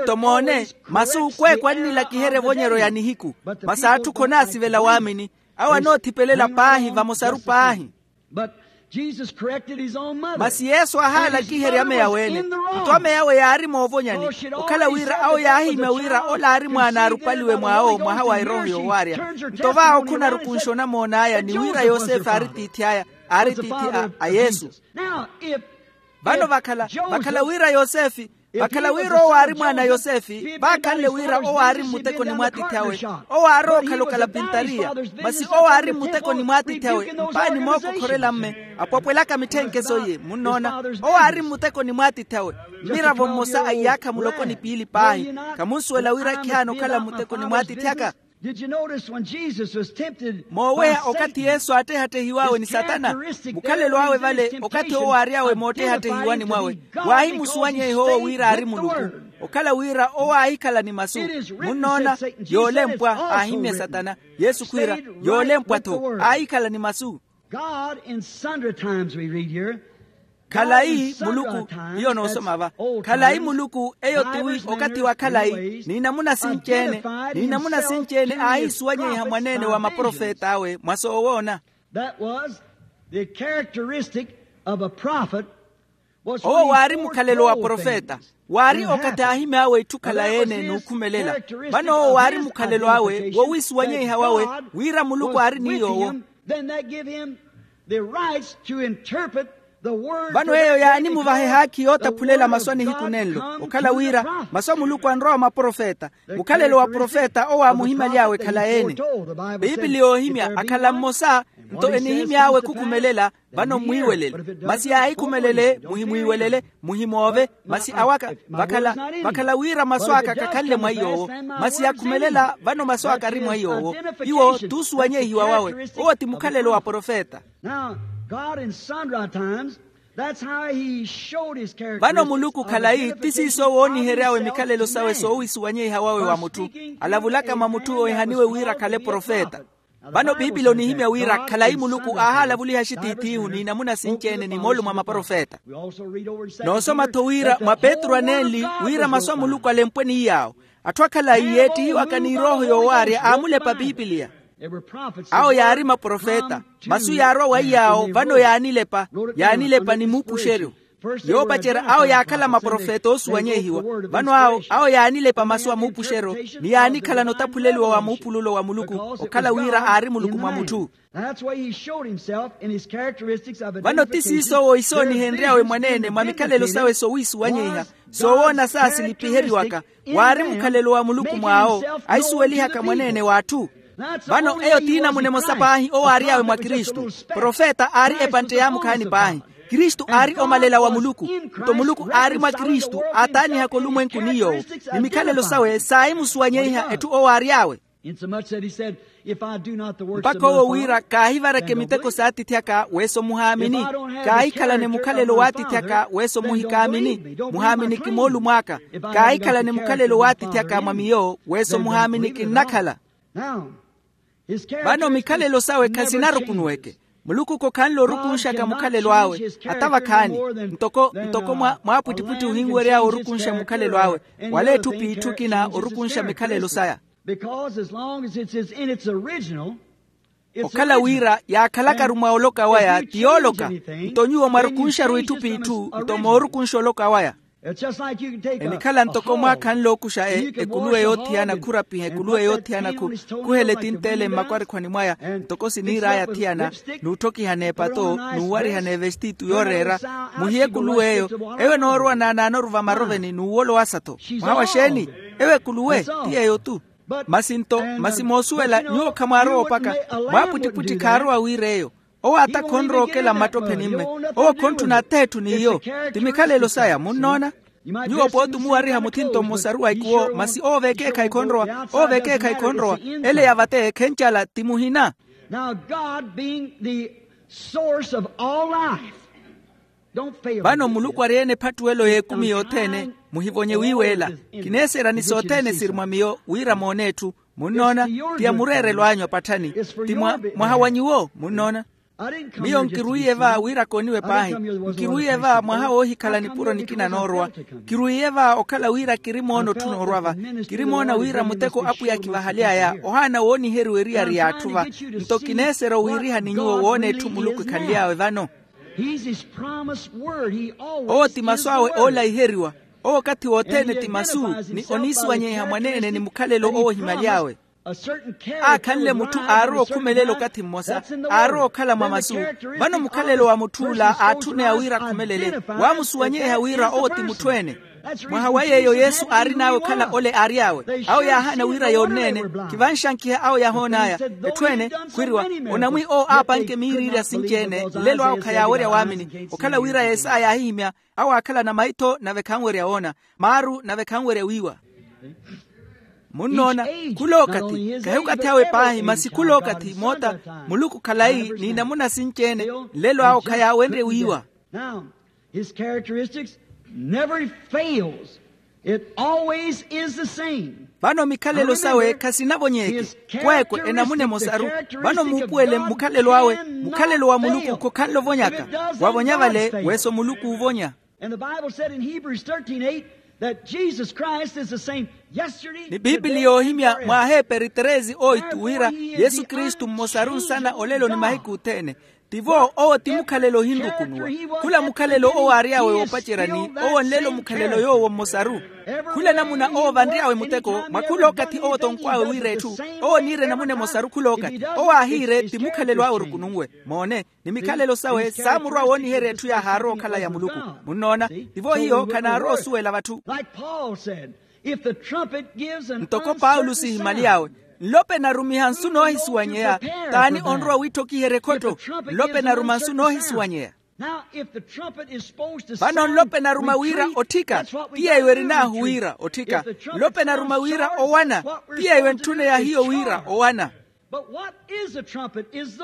Nto moone, masu kweekwa annilakiherya evonyeryo ya nihiku. Masi atthu khonaasivela waamini. Awo anoothipelela paahi vamosaru paahi. Masi yesu aahaalakiherya ameya weene. Nto ameya awe yaari moovonyani. Okhala wira awo yaahimya wira ola aari mwaana aarupaliwe mwaawo mwaha wa erooho yoowaarya. Nto vaawo khunarukunxa onamoon'aya ni wira yosefe aari tiithi aya. Aari tiithi a yesu. Vano vakhala vakhala wira yosefe vakhala wira owo aari mwaana a yosefe vaakhanle wira owo aari mmutekoni mw'atiithi awe. Owo aarowa okhala okalapintariya. Masi owo aari mmutekoni mw'atiithi awe mpaani mookokhorela mme apwapwelaka mitthenkhe sooye munnoona. Owo aari mmutekoni mw'atiithi awe. Mmiravo mmosa a iyaakha muloko ni piili paahi. Khamunsuwela wira khihaana okhala mmutekoni mw'atiithi aka? Mooweya okathi yesu aattehattehiw'awe ni satana. Mukhalelo awe vale okathi owo aary'awe moottehattehiwani mwawe. Waahimusuwanyeiha owo wira aari muluku. Okhala wira owo aahikhala ni masu. Munnoona? Yoolempwa aahimmya satana. Yesu khwiira, yoolempwa-tho aahikhala ni masu. Khalayi muluku. Hiyo noosoma va. Khalayi muluku eyo tiwi okathi wa khalayi n'inamuna sinci-ene. N'inamuna sinci-ene aahiisuwanyeiha mwaneene wa maprofet'awe mwa soowoona. Owo waari mukhalelo wa profeta. Waari okathi aahimy'awe itthu khalayi-ene n'ukhumelela. Vano owo waari mukhalelo awe wowiisuwanyeiha wawe wira muluku aari ni yoowo. Vano eyo yaanimuvaha ehaakhi yootaphulela masu a nihiku nenlo okhala wira masu a muluku anrowa mwa profeta. Mukhalelo wa profeta owo aamuhimaly'awe khalayi-ene. Piipili yoohimya akhala mmosa, nto enihimy'awe khukhumelela. Vano mmwiiwelele. Masi yaahikhumelele muhimwiiwelele, muhimoove. Masi awaka vakhala vakhala wira masu aka khakhanle mwa iy'owo. Masi yakhumelela vano masu aka ari mwa iy'owo. Iwo t'usuwanyehiwa wawe. Owo ti mukhalelo wa profeta. Now, God in sundry times, that's how he showed his characteristics. Vano muluku khalayi ti siiso woonihery'awe mikhalelo sawe soowisuwanyeiha wawe wa mutthu. Alavulaka mwa mutthu oohihaniwe wira akhale profeta. Vano piipili onihimya wira khalayi muluku aahalavuliha axitiith'ihu n'inamuna sinci-ene ni moolumo a maprofeta. Noosoma-tho wira mwa petru anenli wira masu a muluku alempwe ni iy'awo. Atthu akhalayi yeettihiwaka n'irooho yoowaarya aamulepa piipiliya. Awo yaari maprofeta. Masu yaarwa wa iy'awo vano yaanilepa. Yaanilepa ni muupuxeryo. Yoopacerya awo yaakhala maprofeta oosuwanyehiwa. Vano awo awo yaanilepa masu a muupuxeryo, ni yaanikhalana otaphuleliwa wa muupululo wa muluku okhala wira aari muluku mwa mutthu. Vano ti siiso owo isoonihenry'awe mwaneene mwa mikhalelo sawe soowisuwanyeiha. Soowoona saasilipiheriwaka waari mukhalelo wa muluku mw'awo, ahisuwelihaka mwaneene w'atthu. Vano eyo t'inamuna emosa paahi owo aary'awe mwa kristu. Profeta aari epantte yaamukhaani paahi. Kristu aari omalela wa muluku. Nto muluku aari mwa kristu aataanihaka olumwenku ni yoowo, ni mikhalelo sawe saahimusuwanyeiha etthu owo aary'awe. Mpakha owo wira kaahivareke miteko s'atiithi aka weeso muhaamini. Kaahikhalane mukhalelo w'atiithi aka weeso muhikaamini. Muhaaminiki moolumo aka. Kaahikhalane mukhalelo w'atiithi aka mwa miyo weeso muhaaminiki nnakhala. Vano mikhalelo sawe khasinarukunuweke. Muluku khokhanle orukunxaka mukhalelo awe. Ata vakhaani ntoko ntoko mwa mwaapwittipwitthi ohinwery'awe orukunxa mukhalelo awe. Wala etthu p'itthu ekina orukunxa mikhalelo saya. Okhala wira yaakhalakaru mwa oloka waya ti yooloka. Nto nyuwo mwarukunxaru itthu p'itthu nto moorukunxa oloka waya. Enikhala ntoko mwaakhanle ookuxa ekuluwe yoothiyana khurapiha ekuluwe yoothiyana khuhele tinteele mmakwarikhwani mwaya. Ntoko siniir'aya athiyana n'utthokihana epato n'uwarihana evestitu yooreera. Muhiye ekuluwe eyo. Eyo enoorowa naanaanoru vamaroveni n'uwolo wasa-tho. Mwaha wa xeeni? Eyo ekuluwe ti yeeyo-tu. Masi nto masi moosuwela nyuwo khamwaarowa opaka. Mwaapwittipwitthi khaarowa wiir'eyo. Owo ata khonrowa okela mmattopheni mme. Owo khontthuna atheetthu n'iyo. Ti mikhalelo saya munnoona. Nyuwo pooti omuwariha muthinto mmosaru wa ikuwo masi owo v'ekeekhayi khonrowa. Owo v'ekeekhayi khonrowa. Ele ya vate khencala ti muhina. Now god being the source of all life. Vano muluku ari-ene ephattuwelo y'ekumi yothene. Muhivonye wiiweela. Kineeserya ni sothene siri mwa miyo wira moone etthu. Munnoona? Ti ya mureerelo anyu apatthani. Ti mwaha wa nyuwo munnoona. Miyo nkirwiiye va wira kooniwe paahi. Nkirwiiye va mwaha woohikhala nipuro nikina noorowa. Kirwiiye va okhala wira kirimoona otthu noorwa va. Kirimoona wira muteko apwiya akivahaly'aya ohaana wooniheriwa eriyari y'atthu va. Nto kineeserya owiiriha ni nyuwo woona etthu muluku ekhanly'awe vano. Owo ti masu awe oolaiheriwa. Owo okathi wothene ti masu ni oniisuwanyeiha mwaneene ni mukhalelo owo ohimaly'awe. Aakhanle mutthu aarowa okhumelela okathi mmosa. Aarowa okhala mwa masu. Vano mukhalelo wa mutth'ula aatthuneya wira akhumelele. Waamusuwanyeiha wira owo ti mutthu-ene. Mwaha wa yeeyo yesu aarin'awe okhala ole aary'awe. Awo yaahaana wira yoonneene. Khivanxankiha awo yahoon'aya. Etthu-ene khwiriwa onamwi owo aapanke miiriirya sinci-ene nlelo awe khayaawerya waamini okhala wira yeesaya yaahihimya. Awo aakhalana maitho nave khanwerya woona. Maaru nave khanwerya wiiwa. Munnoona? Khulookathi kahi okathi awe paahi masi khulookathi moota. Muluku khalayi n'inamuna sinci-ene nlelo awo khayaawenrye wiiwa. Now his characteristics never fails. It always is the same. Vano mikhalelo sawe khasinavonyeke. Kweekwe enamuna emosaru. Vano muupuwele mukhalelo awe. Mukhalelo wa muluku khokhanle ovonyaka. Wavonya vale weeso muluku uuvonya. And the bible said in hebrews thirteen eight that jesus christ is the same yesterday. Ni piipili yoohimya mwa aheeperi treze oitu wira yesu kristu mmosaru nsana olelo ni mahiku othene. Tivo owo ti mukhalelo ohinrukunuwa. Khula mukhalelo owo aary'awe woopaceryani, owo nlelo mukhalelo yoowo mmosaru. Khula namuna owo vanry'awe muteko mwa khul'okathi owo tonkw'awe wira etthu, owo niire namuna emosaru khul'okathi owo aahiire ti mukhalelo awe orukununwe. Moone, ni mikhalelo sawe saamurwa wooniherya etthu yaahaarwa okhala ya muluku. Munnoona? Tivo hiyo khanaarowa osuwela vatthu. Ntoko paulo sihimaly'awe, nlope narumiha nsu noohisuwanyeya. T'ani onrowa wiitthokiherya ekhotto? Nlope naruma nsu noohisuwanyeya. Vano nlope naruma wira otthika, ti yeeyo erin'ahu wira otthika. Nlope naruma wira owana, ti yeeyo entthune ya hiyo wira owana.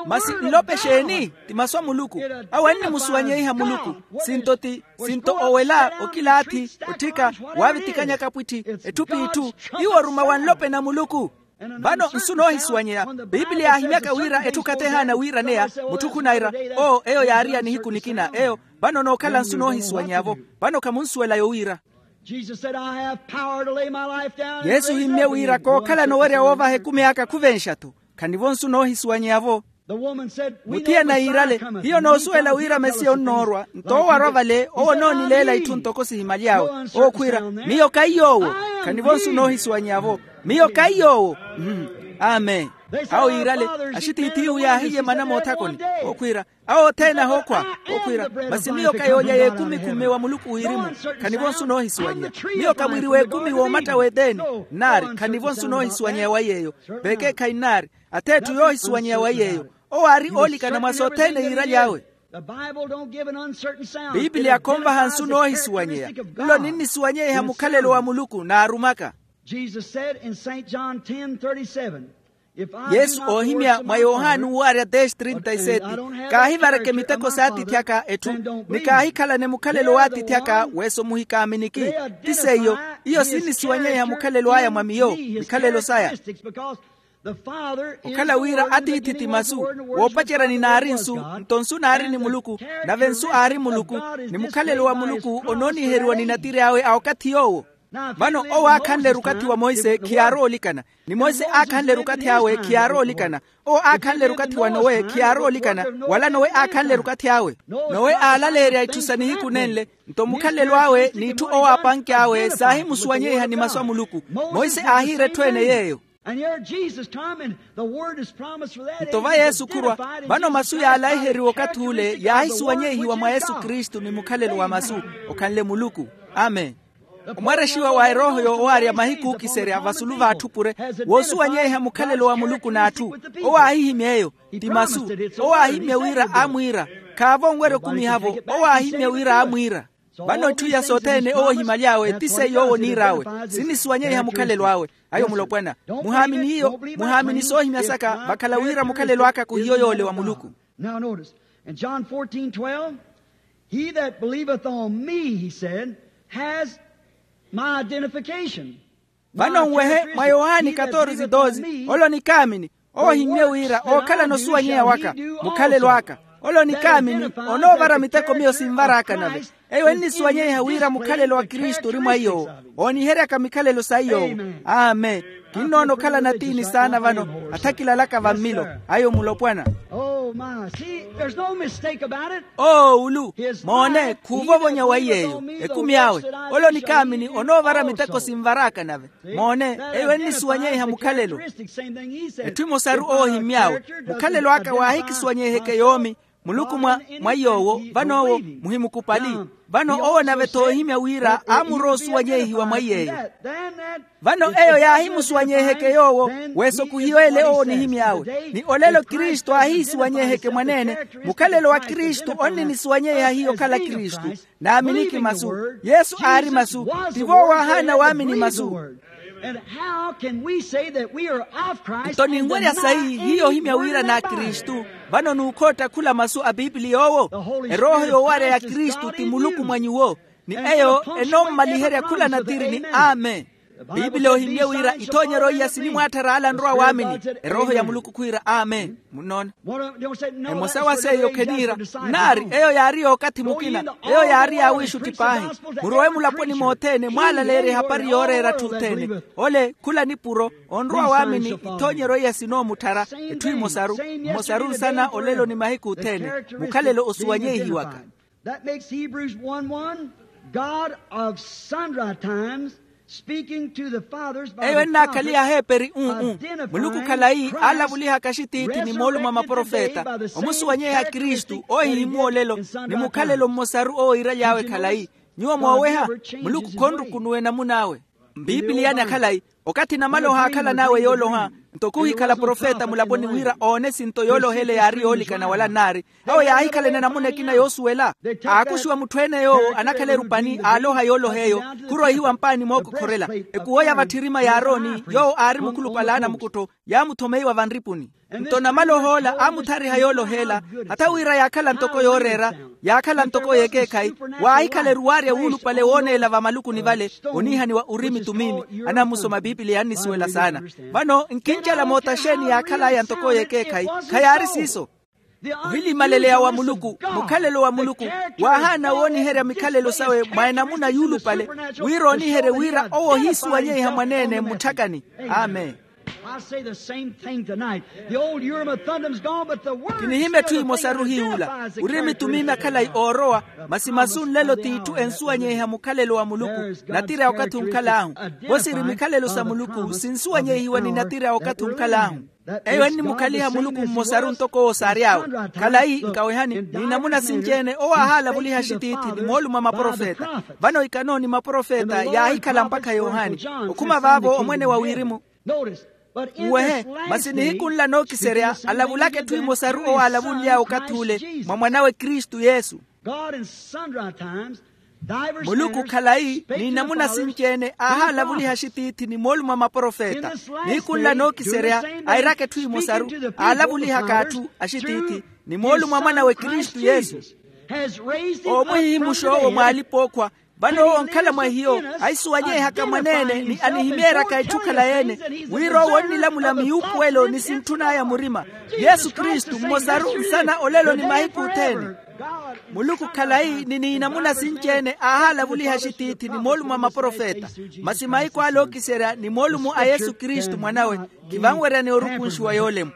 Masi nlope exeeni? Ti masu a muluku. Awo ennimusuwanyeiha muluku. Sinto ti, sinto owela okilaathi, otthika, waavitikanya kapwitthi, etthu p'itthu. Iwo oruma wa nlope na muluku. Vano nsu noohisuwanyeya. Piipiliya yaahimyaka wira etthu khathehaana wiiraneya, mutthu khunaira, oo eyo yaariya nihiku nikina eyo. Vano nookhala nsu noohisuwanyeya-vo. Vano khamunsuwela yowiira. Yesu ohimmye wira kookhala noowerya woovaha ekumi aka khuvenxa-tho. Khanivo nsu noohisuwanyeya-vo. Muthiyana yiirale, hiyo noosuwela wira mesiya onnoorwa. Nto owo arwa vale owo onoonileela itthu ntoko sihimaly'awe. Owo khwiira, miyo kaiy'owo. Khanivo nsu noohisuwanyeya-vo. Miyo kaiy'owo. Amen. Awo yiirale, axitiithi iwu yaahiye mana moothakoni. Owo khwiira, awo othene ahookhwa. Owo khwiira, masi miyo kayoolya y'ekumi khumme wa muluku wirimu. Khanivo nsu noohisuwanyeya. Miyo ka mwiiri w'ekumi w'omatta w'eteni. Nnaari khanivo nsu noohisuwanyeya wa yeeyo. Vekeekhayi nnaari, ath'etthu yoohisuwanyeya wa yeeyo. Owo aari oolikana mwa sothene yiiraly'awe. Piipiliya khonvaha nsu noohisuwanyeya. Nlo ninnisuwanyeiha mukhalelo wa muluku naarumaka. Yesu oohimya mwa yohani uwaarya dez trinta y sete, kaahivareke miteko s'atiithi aka etthu, ni kaahikhalane mukhalelo w'atiithi aka weso muhikaaminiki. Ti seiyo, iyo sinnisuwanyeiha mukhalelo aya mwa miyo, mikhalelo saya. Okhala wira atiithi ti masu, woopacerya ni naari nsu, nto nsu naari ni muluku, nave nsu aari muluku, ni mukhalelo wa muluku onooniiheriwa ni natiri awe a okathi yoowo. Vano owo aakhanle rukathi wa monse khiyaarowa olikana, ni monse aakhanle rukathi awe khiyaarowa olikana. Owo aakhanle rukathi wa nowe khiyaarowa olikana, wala nowe aakhanle rukathi awe. Nowe aalaleerya itthu sa nihiku nenle, nto mukhalelo awe n'itthu owo aapanky'awe saahimusuwanyeiha ni masu a muluku. Monse aahiira etthu ene yeeyo. Nto va yesu khurwa, vano masu yaalaiheriwa okathi ule yaahisuwanyeihiwa mwa yesu kristu ni mukhalelo wa masu, okhanle muluku. Amen. Omwarexiwa wa erooho yoowaarya mahiku ookiserya vasulu v'atthu pure, woosuwanyeiha mukhalelo wa muluku n'atthu. Owo aahihimya eyo, ti masu. Owo aahimya wira aamwiira, khaavo onwerya okumiha-vo. Owo aahimya wira aamwiira. Vano etthu iya sothene owo ohimaly'awe ti seiyo owo oniir'awe. Sinnisuwanyeiha mukhalelo awe. Ayo mulopwana, muhaamini iyo. Muhaamini soohimya saka vakhala wira mukhalelo aka khuhiyo yoole wa muluku. Now notice, in John fourteen twelve, he that believeth on me, he said, has my identification. Vano nwehe mwa yohani katorze doze, ole onikaamini, owo ohimmye wira ookhalana osuwanyeya waka, mukhalelo aka. Ole onikaamini onoovara miteko miyo sinvar'aka nave. Eyo ennisuwanyeiha wira mukhalelo wa kristu ori mwa iy'owo, ooniheryaka mikhalelo sa iy'owo. Amen. Kinnoona okhalana tiini saana vano, athakilalaka vammilo. Ayo mulopwana. Oh my, see, there's no mistake about it. Oo ulu, moone khuuvovonya wa iy'eyo. Ekumi awe, ole onikaamini onoovara miteko sinvar'aka nave. Moone, eyo ennisuwanyeiha mukhalelo. Etthu emosaru owo ohimmy'awe, mukhalelo aka waahikisuwanyeiheke yoomi. Muluku mwa, mwa iy'owo vano owo, muhimukupali. Vano owo nave-tho oohimya wira aamurowa osuwanyeihiwa mwa iy'eyo. Vano eyo yaahimusuwanyeiheke yoowo, weso khuhiyo ele owo onihimy'awe. Ni olelo kristu aahihisuwanyeiheke mwaneene. Mukhalelo wa kristu onninisuwanyeiha hiyo okhala kristu. Naaminiki masu. Yesu aari masu. Tivo owo aahaana waamini masu. Nto ninwerya sayi hiyo ohimya wira n'akristu. Vano n'ukhootta khula masu a piipiliya owo. Erooho yoowarya ya kristu ti muluku mwa nyuwo. Ni eyo enommaliherya khula natiri ni amen. Piipili ohimmye wira ithoonyeryo iya sinimwaatthar'ala nrowa waamini. Erooho ya muluku khwiira amen. Munnoona? Emosa wa seiyo kheniira, nnaari eyo yaari y'okathi mukina. Eyo yaari yaawiixutti paahi. Murowe mulaponi mothene mwaalaleerye ehapari yooreera atthu othene. Ole khula nipuro onrowa waamini. Ithoonyeryo iya sinoomutthara etthu emosaru, mmosaru nsana olelo ni mahiku othene. Mukhalelo osuwanyeihiwaka. That makes Hebrews one one, God of sundry times speaking to the fathers by the prophets. Eyo ennaakhaliha aheeperi un-un. Muluku khalayi aalavulihaka axitiithi ni moolumo a maprofeta omusuwanyeha kristu oohihimmwa olelo ni mukhalelo mmosaru owo iiraly'awe khalayi. Nyuwo mooweha, muluku khonrukunuwa enamun'awe. Mpiipiliyani akhalayi, okathi namala ohaakhalan'awe yooloha, ntoko ohikhala profeta mulaponi wira oone sinto yooloha ele yaari yoolikana wala nnaari. Awo yaahikhalana namuna ekina yoosuwela. Aakuxiwa mutthu-ene yoowo anakhala erupani aaloha yooloha eyo. Khuroihiwa mpaani mookokhorela. Ekuwo ya vatthirima ya aaroni yoowo aari mukhulupale a anamukuttho, yaamuthomeiwa vanripuni. Nto namala ohoola aamuthariha yooloha ela, hatha wira yaakhala ntoko yooreera, yaakhala ntoko y'ekeekhayi. Waahikhala eruwaarya wuulupale wooneela vamalukuni vale oniihaniwa urimi tumimi. Anammusoma piipiliya annisuwela saana. Vano nkincela moota xeeni yaakhal'aya ntoko y'ekeekhayi? Khayaari siiso. Ohilimaleya wa muluku, mukhalelo wa muluku, waahaana wooniherya mikhalelo sawe mwa enamuna yuulupale, wira ooniherye wira owo ohiisuwanyeiha mwaneene mutthakani. Amen. I say the same thing tonight. The old Urim and Thummim is gone, but the word kinihimya etthu emosaru hiiwula. Urimi tumimi akhalayi oorowa, masi masu nlelo t'itthu ensuwanyeiha mukhalelo wa muluku. Natira ya okathi onkhal'ahu. Vo siri mikhalelo sa muluku sinsuwanyeihiwa ni natira ya okathi onkhal'ahu. Eyo ennimukhaliha muluku mmosaru ntoko owo saary'awe. Khalayi nkawehani ni namuna sinci-ene owo ahaalavuliha axitiithi ni moolumo a maprofeta. Vano ikano ni maprofeta yaahikhala mpakha yohani. Okhuma vaavo omwene wa wirimu. Nwehe, masi nihiku nla nookiserya alavulaka etthu emosaru owo aalavunly'awe okathi ule mwa mwan'awe kristu yesu. Muluku khalayi ni namuna sinci-ene aahaalavuliha axitiithi ni moolumo a maprofeta. Nihiku nla nookiserya airaka etthu emosaru aalavulihaka atthu axitiithi ni moolumo a mwan'awe kristu yesu. Oomwihihimuxa owo mw'alipa-ookhwa. Vano owo onkhala mwa hiyo ahisuwanyeihaka mwaneene ni anihimeeryaka etthu khalayi-ene, wira owo onnilamula miyuupuwelo ni sintthun'aya murima. Yesu kristu mmosaru nsana olelo ni mahiku othene. Muluku khalayi ni niinamuna sinci-ene aahaalavuliha axitiithi ni moolumo a maprofeta. Masi mahiku ale ookiserya ni moolumo a yesu kristu mwan'awe, khivanweryani orukunxiwa yoolemu.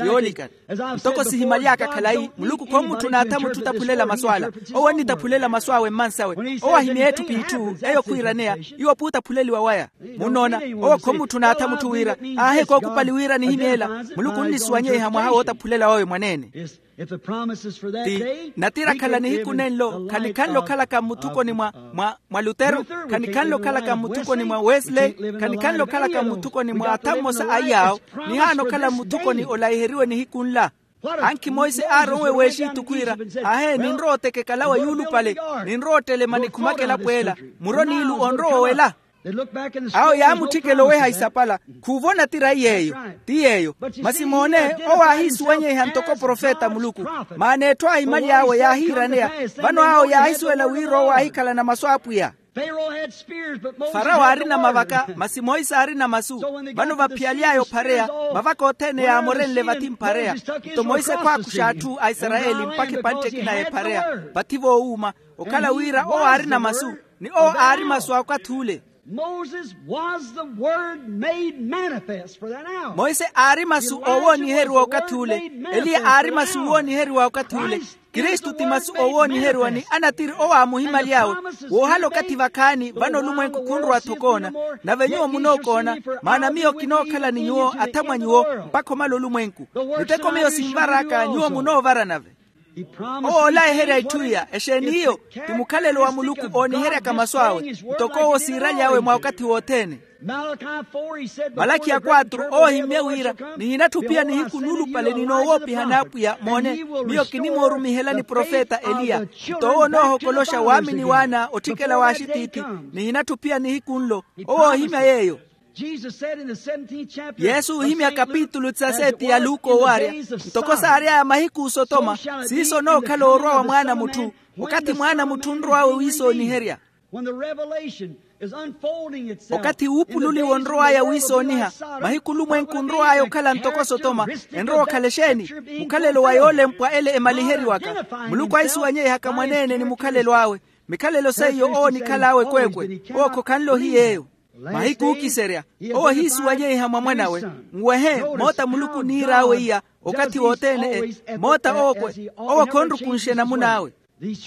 Yoolikana. Ntoko sihimaly'aka khalayi muluku khomutthuna atha mutthu otaphulela masu ala. Owo ennitaphulela masu awe mmansawe. Owo ahimya etthu p'itthu eyo khwiiraneya. Iwo puutaphuleliwa waya. Munnoona, owo khomutthuna atha mutthu wira aahi ekookupali wira anihimya ela. Muluku onnisuwanyeiha mwaha wootaphulela wawe mwaneene. Ti natira akhala nihiku nenlo khanikhanle okhalaka mmuthukoni mwa mwa lutero. Khanikhanle okhalaka mmuthukoni mwa wesley. Khanikhanle okhalaka mmuthukoni mwa atha mmosa a iyaawo. Nihaana okhala mmuthukoni olayiheriwe nihiku nla. Ankhi monse aaronwe w'exitu khwiira, ahe ninrowa otekekala wa yuulupale. Ninrowa ottelema nikhumaka elapo ela. Muro n'ilu onrowa owela. Awo yaamutthikela oweha isapala. Khuuvo natira iy'eyo. Ti yeeyo. Masi moone, owo aahiisuwanyeiha ntoko profeta a muluku. Maana etthu aahimaly'awe yaahiiraneya. Vano awo yaahisuwela wira owo aahikhalana masu a apwiya. Farawo aarina mavaka masi monse aarina masu. Vano vaphiyaly'aya ophareya, mavaka othene yaamorenle vathi mphareya. Nto monse khwaakuxa atthu a isarayeli mpakha epantte ekina y'ephareya. Vathi voowuuma, okhala wira owo aarina masu ni owo aari masu a okathi ule. Moses was the word made manifest for that hour. Monse aari masu oowooniheriwa okathi ule. Eliya aari masu oowooniheriwa okathi ule. Kristu ti masu oowooniheriwa ni anatiri owo aamuhimaly'awe. Woohala okathi vakhaani vano olumwenku khunrowa-tho okoona. Nave nyuwo munookoona. Maana miyo kinookhala ni nyuwo athamwa nyuwo mpakha omala olumwenku. Miteko miyo sinvar'aka nyuwo munoovara nave. Owo oolayiherya itthu iya exeeni hiyo? Ti mukhalelo wa muluku ooniheryaka masu awe ntoko owo siiraly'awe mwa okathi wothene. Malakhi ya kwatru owo ohimmye wira, nihinatthu pia nihiku nuulupale ninoowoopiha n'apwiya moone. Miyo kinimoorumihelani profeta eliya. Nto owo onoohokoloxa waamini waana otthikela w'axitiithi. Nihinatthu pia nihiku nlo. Owo oohimya yeeyo. Yesu oohimya kapitulu tisa seti ya luka owaarya, ntoko saary'aya mahiku osotoma, siiso onookhala orwa wa mwaana a mutthu. Okathi mwaana a mutthu onrow'awe wiisooniherya. Okathi uupululiwa onrow'aya wiisooniha, mahiku olumwenku onrow'aya okhala ntoko sotoma. Enrowa okhala exeeni? Mukhalelo wa yoolempwa ele emaliheriwaka. Muluku ahisuwanyeihaka mwaneene ni mukhalelo awe. Mikhalelo seiyo owo onikhal'awe ekweekwe. Owo khokhanle ohiy'eyo. Mahiku ookiserya, owo ahiisuwanyeiha mwa mwan'awe. Nwehe moota muluku oniir'awe iya okathi wothene. Moota owo khonrukunxe namun'awe.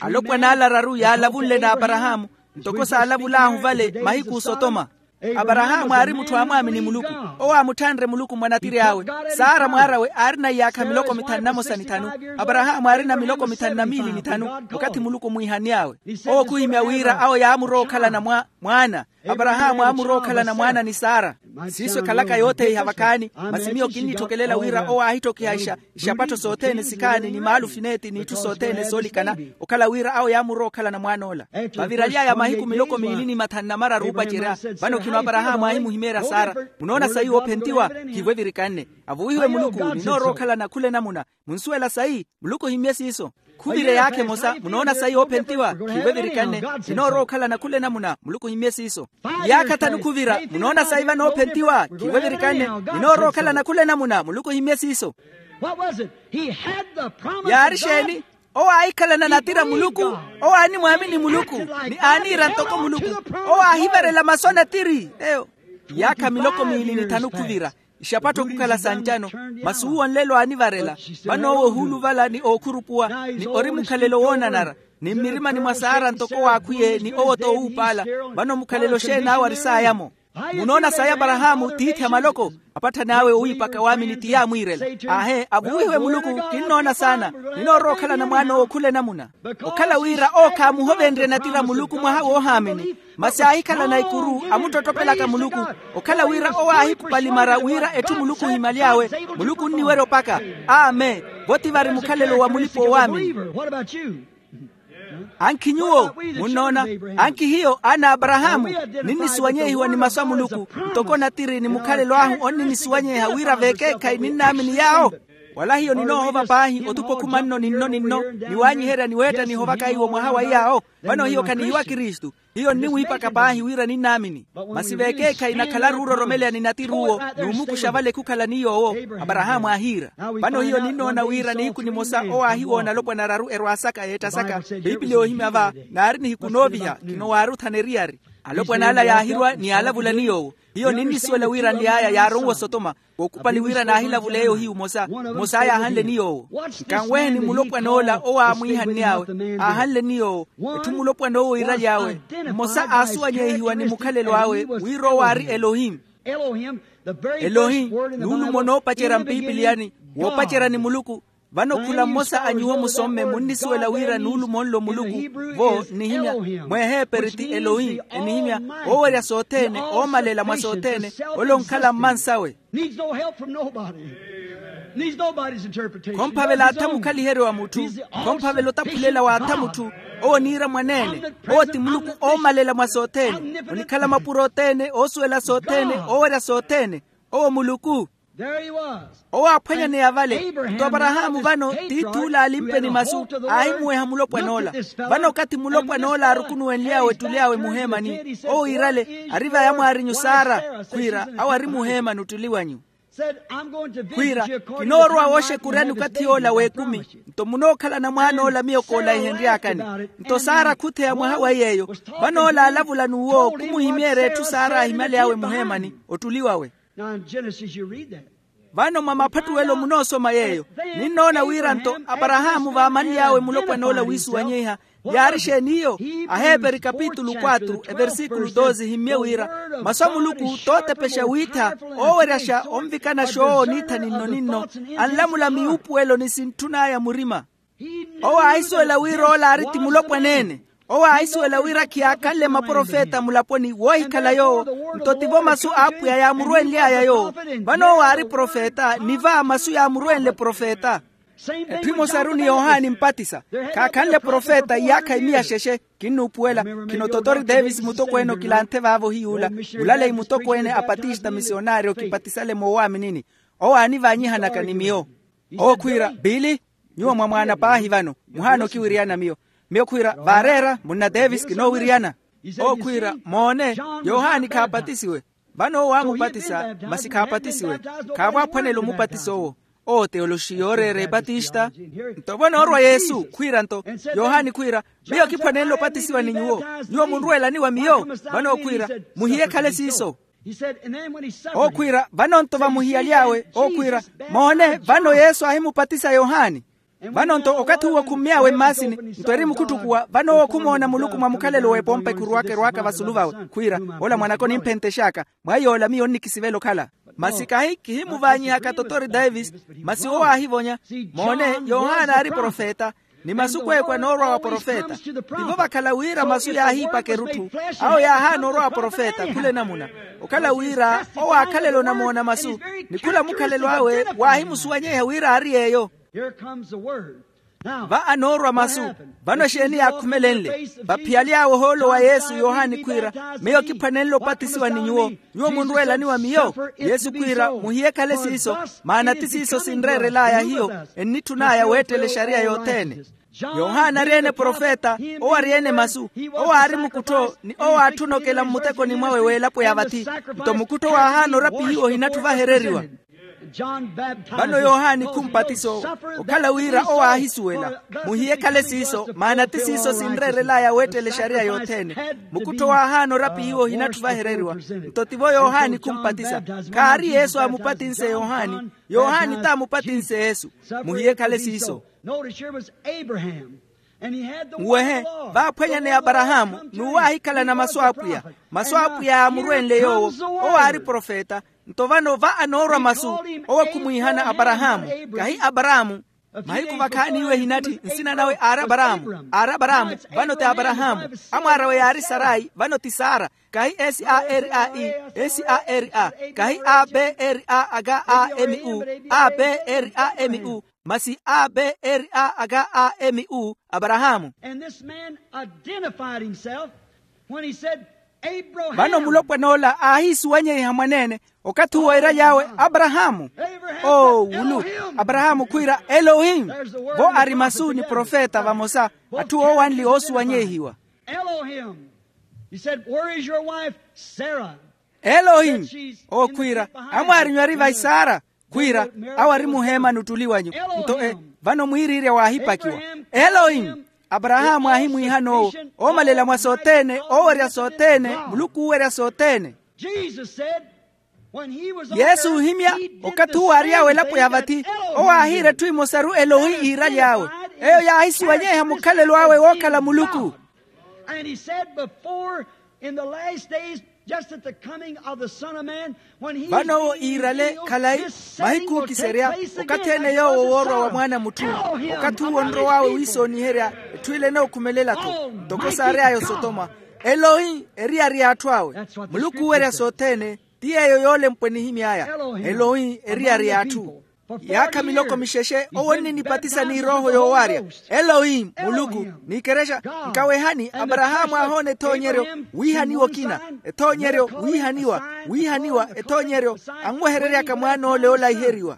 Alopwan'ala araru yaalavunle n'aparahaamu, ntoko saalavul'ahu vale mahiku osotoma. Aparahaamu aari mutthu aamwaamini muluku. Owo aamutthanre muluku mwa natiri awe. Sara mwaar'awe aarina iyaakha miloko mithanu na mosa ni thanu. Aparahaamu aarina miloko mithanu na miili ni thanu okathi muluku omwiihanny'awe. Owo khuhimya wira awo yaamurowa okhalana mwa mwaana. Aparahaamu aamurowa okhalana mwaana ni sara. Siiso ekhalaka yootheiha vakhaani. Masi miyo kinnitthokelela wira owo aahitthokiha ixapattho sothene sikhaani ni maalufineeti n'itthu sothene soolikana, okhala wira awo yaamurowa okhalana mwaan'ola. Vaviraly'aya mahiku miloko miili ni mathanu na mararu oopacerya. Vano khino aparahaamu aahimuhimeerya sara. Munoona sayi woophentiwa? Khivo evirikanne. Avuwihiwe muluku. Ninoorowa okhalana khula enamuna. Munsuwela sayi? Muluku ohimmye siiso. Khuvira eyaakha emosa. Munoona sayi woophentiwa? Khivo evirikanne. Ninoorowa okhalana khula enamuna. Muluku ohimmye siiso. Iyaakha thanu khuvira. Munoona sayi vano woophentiwa? Khivo evirikanne. Ninoorowa okhalana khula enamuna. Muluku ohimmye siiso. Yaari exeeni? Owo aahikhalana natira muluku. Owo aanimwaamini muluku, ni aaniira ntoko muluku. Owo aahivarela masu a natiri eyo. Iyaakha miloko miili ni thanu khuvira, ixapattho khukhala sancano. Masi uwo nlelo aanivarela. Vano owo ohuuluvala ni ookhurupuwa, ni ori mukhalelo woonanara, ni mmirimani mwa sara ntoko waakhwiye ni owo-tho owuupaala. Vano mukhalelo xeeni awo aris'aya-mo? Munoona sayi aparahaamu tiithi a maloko? Apatthani awe owiipaka waamini ti yaamwiirela. Aahe, avuwihiwe muluku. Kinnoona saana. Ninoorowa okhalana mwaan'owo khula enamuna. Okhala wira owo khaamuhovenrye natira muluku mwaha woohaamini, masi aahikhalana ikuru amuttottopelaka muluku. Okhala wira owo aahikhupalimara wira etthu muluku ohimaly'awe, muluku onniwerya opaka. Amen. Vo ti vari mukhalelo wa mulipa-oowaamini. Ankhi nyuwo? Munnoona? Ankhi hiyo aana a aparahaamu ninnisuwanyeihiwa ni masu a muluku, ntoko natiri ni mukhalelo ahu onninnisuwanyeiha wira vekeekhayi ninnaamini yaawo. Wala hiyo ninoohova paahi otupa okhuma nno ni nno ni nno, ni waanyiherya ni weetta nihovaka iwo mwaha wa iyaawo. Vano hiyo khanihiwa kristu. Hiyo nniwiipaka paahi wira ninnaamini. Masi vekeekhayi nakhalaru ororomeleya ni natiri uwo, n'umukuxa vale khukhala ni yoowo. Aparahaamu aahiira. Vano hiyo ninnoona wira nihiku nimosa owo aahiwoona alopwana araru erwaasaka yeettasaka. Piipili yoohimya va, naari nihiku nooviha khino waari othana eriyari. Alopwana ala yaahirwa ni yaalavula ni yoowo. Hiyo ninnisuwela wira nly'aya yaaronwa osotoma, kookhupali wira naahilavuleya ohiyu mmosa. Mmos'aya aahanle ni yoowo. Nkanweheni mulopwan'ola owo aamwiihanny'awe, aahanle ni yoowo. Etthu mulopwan'owo iiraly'awe, mmosa aasuwanyeihiwa ni mukhalelo awe wira owo aari elohim. Elohim, nuulumo noopacerya mpiipiliyani, woopacerya ni muluku. Vano khula mmosa a nyuwo musomme munnisuwela wira nuulumo nlo muluku. Vo nnihimya, mweheeperi ti elohim, enihimya oowerya sothene, oomalela mwa sothene. Ole onkhala mmansawe. Khomphavela atha mukhaliheryo wa mutthu. Khomphavela otaphulela w'atha mutthu. Owo oniira mwaneene. Owo ti muluku oomalela mwa sothene, onikhala mapuro othene, oosuwela sothene, oowerya sothene. Owo muluku. Owo aaphwanyaneya vale. Nto aparahaamu vano tiith'ule aalimpeni masu, aahimuweha mulopwan'ola. Vano okathi mulopwan'ola aarukunuwenly'awe ettuli awe muheemani, owo iirale, ari va yamwaarinyu sara, khwiira awo ari muheemani ottuli wanyu. Khwiira, kinoorowa wooxekuryani okathi yoola w'ekumi. Nto munookhalana mwaan'ola miyo koolahihenry'akani. Nto sara khutheya mwaha wa iy'eyo. Vano ola aalavula n'uwo khumuhimeerya etthu sara aahimaly'awe muheemani, ottuli wawe. Vano mwa maphattuwelo munoosoma yeeyo. Ninnoona wira nto aparahaamu vaamanly'awe mulopwan'ola wiisuwanyeiha. Yaari exeeni iyo? Aheeperi kapitulu quatro, eversikulu doze himmye wira, masu a muluku tootepexa wiitha, ooweryaxa onvikanaxa owo oniitha ninno-ninno, anlamula miwuupuwelo ni sintthun'aya murima. Owo aahisuwela wira ola aari ti mulopwan'ene. Owo aahisuwela wira khiyaakhanle maprofeta mulaponi woohikhala yoowo. Nto tivo masu a apwiya yaamurwenly'aya yoowo. Vano owo aari profeta ni va masu yaamurwenle profeta. Etthu emosaru ni yohani mpatisa. Khaakhanle profeta iyaakha imiya xexe. Kinnuupuwela. Khino totori davis mutokweene okilanthe vaavo ohiyuula, mulaleyi mutokweene a patista misionaari okipatisale moowaaminini. Owo aanivaanyihanaka ni miyo. Owo khwiira, biili, nyuwo mwamwaana paahi vano, muhaana okiwiriyana miyo. Miyo khwiira, vaareera munna davis kinoowiriyana. Ookhwiira, moone, yohani khaapatisiwe. Vano owo aamupatisa masi khaapatisiwe. Khaavo aphwanela omupatisa owo. Owo teoloxi yooreera epatista. Nto vano orwa yesu khwiira nto, yohani khwiira, miyo kiphwanenle opatisiwa ni nyuwo. Nyuwo munrweelani wa miyo. Vano okhwiira, muhiye ekhale siiso. Okhwiira, vano nto vamuhiyaly'awe okhwiira, moone, vano yesu aahimupatisa yohani. Vano nto okathi uwo khummy'awe mmaasini, nto eri mukhuttukuwa vano owo khumoona muluku mwa mukhalelo w'epompa ekhuruwaka erwaaka vasulu vawe, khwiira, ola mwanaka onimphentex'aka. Mwa yoola miyo nnikisivela okhala. Masi kahi kihimuvaanyihaka totori davis. Masi owo aahivonya, moone, yohana aari profeta, ni masu kweekwa noorwa wa profeta. Tivo vakhala wira masu yaahiipaka erutthu, awo yaahaana orwa wa profeta khula enamuna. Okhala wira owo aakhalela onamoona masu, ni khula mukhalelo awe waahimusuwanyeiha wira aari yeeyo. Va anoorwa masu. Vano exeeni yaakhumelenle? Vaphiyaly'awe ohoolo wa yesu yohani khwiira, miyo kiphwanenle opatisiwa ni nyuwo. Nyuwo munrweelani wa miyo? Yesu khwiira, muhiye ekhale siiso, maana ti siiso sinreerel'aya hiyo, ennitthun'aya weettela exariya yothene. Yohana ari-ene profeta, owo ari-ene masu. Owo aari mukuttho ni owo aatthuna okela mmutekoni mwawe w'elapo ya vathi. Nto mukuttho waahaana orapihiwa ohinatthu vahereriwa. Vano yohani khumpatiso, okhala wira owo aahisuwela. Muhiye ekhale siiso, maana ti siiso sinreerel'aya weettela exariya yothene. Mukuttho waahaana orapihiwa ohinatthu vahereriwa. Nto tivo yohani khumpatisa. Khaari yesu aamupatinse yohani. Yohani t'amupatinse yesu. Muhiye ekhale siiso. Nwehe, vaaphwanya ni aparahaamu, n'uwo aahikhalana masu a apwiya. Masu a apwiya yaamurwenle yoowo. Owo aari profeta. Nto vano va anoorwa masu, owo khumwiihana aparahaamu, kahi aparahaamu. Mahiku vakhaani iwe ehinatthi nsina nawe aari aparahaamu. Aari aparahaamu. Vano ti aparahaamu. Amwaar'awe yaari sarai vano ti sara. Kahi s a r a e, s a r a, kahi a b r a aka a m u, a b r a m u, masi a b r a aka a m u. Aparahaamu. Vano mulopwan'ola aahisuwanyeiha mwaneene, okathi uwo iira yaawe, aparahaamu. O wulu. Aparahaamu khwiira, elohim. Vo ari masu ni profeta vamosa. Atthu oowanli oosuwanyeihiwa. Elohim. Owo khwiira, amwaarinyu ari vahi sara. Khwiira, awo ari muheemani ottuli wanyu. Nto e, vano mwiiriirya waahipakiwa. Elohim. Aparahaamu aahimwiihana owo, oomalela mwa sothene, oowerya sothene, muluku oowerya sothene. Yesu ohimya, okathi uwo aary'awe elapo ya vathi, owo aahiira etthu emosaru elohi iiraly'awe. Eyo yaahisuwanyeiha mukhalelo awe wookhala muluku. Vano owo iirale khalayi, mahiku ookiserya, okathi ene yoowo woorwa wa mwaana a mutthu. Okathi uwo onrow'awe wiisooniherya, etthu ila enookhumelela-tho, ntoko saary'aya osotoma. Elohi eriyari y'atthu awe. Muluku oowerya sothene. Ti yeeyo yoolempwa enihimy'aya. Elohi eriyari y'atthu. Yaakha miloko mixexe owo onninipatisa n'irooho yoowarya. Elohi muluku. N'ikerexa. Nkawehani, aparahaamu aahoona ethoonyeryo, wiihaniwa okina. Ethoonyeryo wiihaniwa, wiihaniwa ethoonyeryo. Anwehereryaka mwaan'ole oolaiheriwa.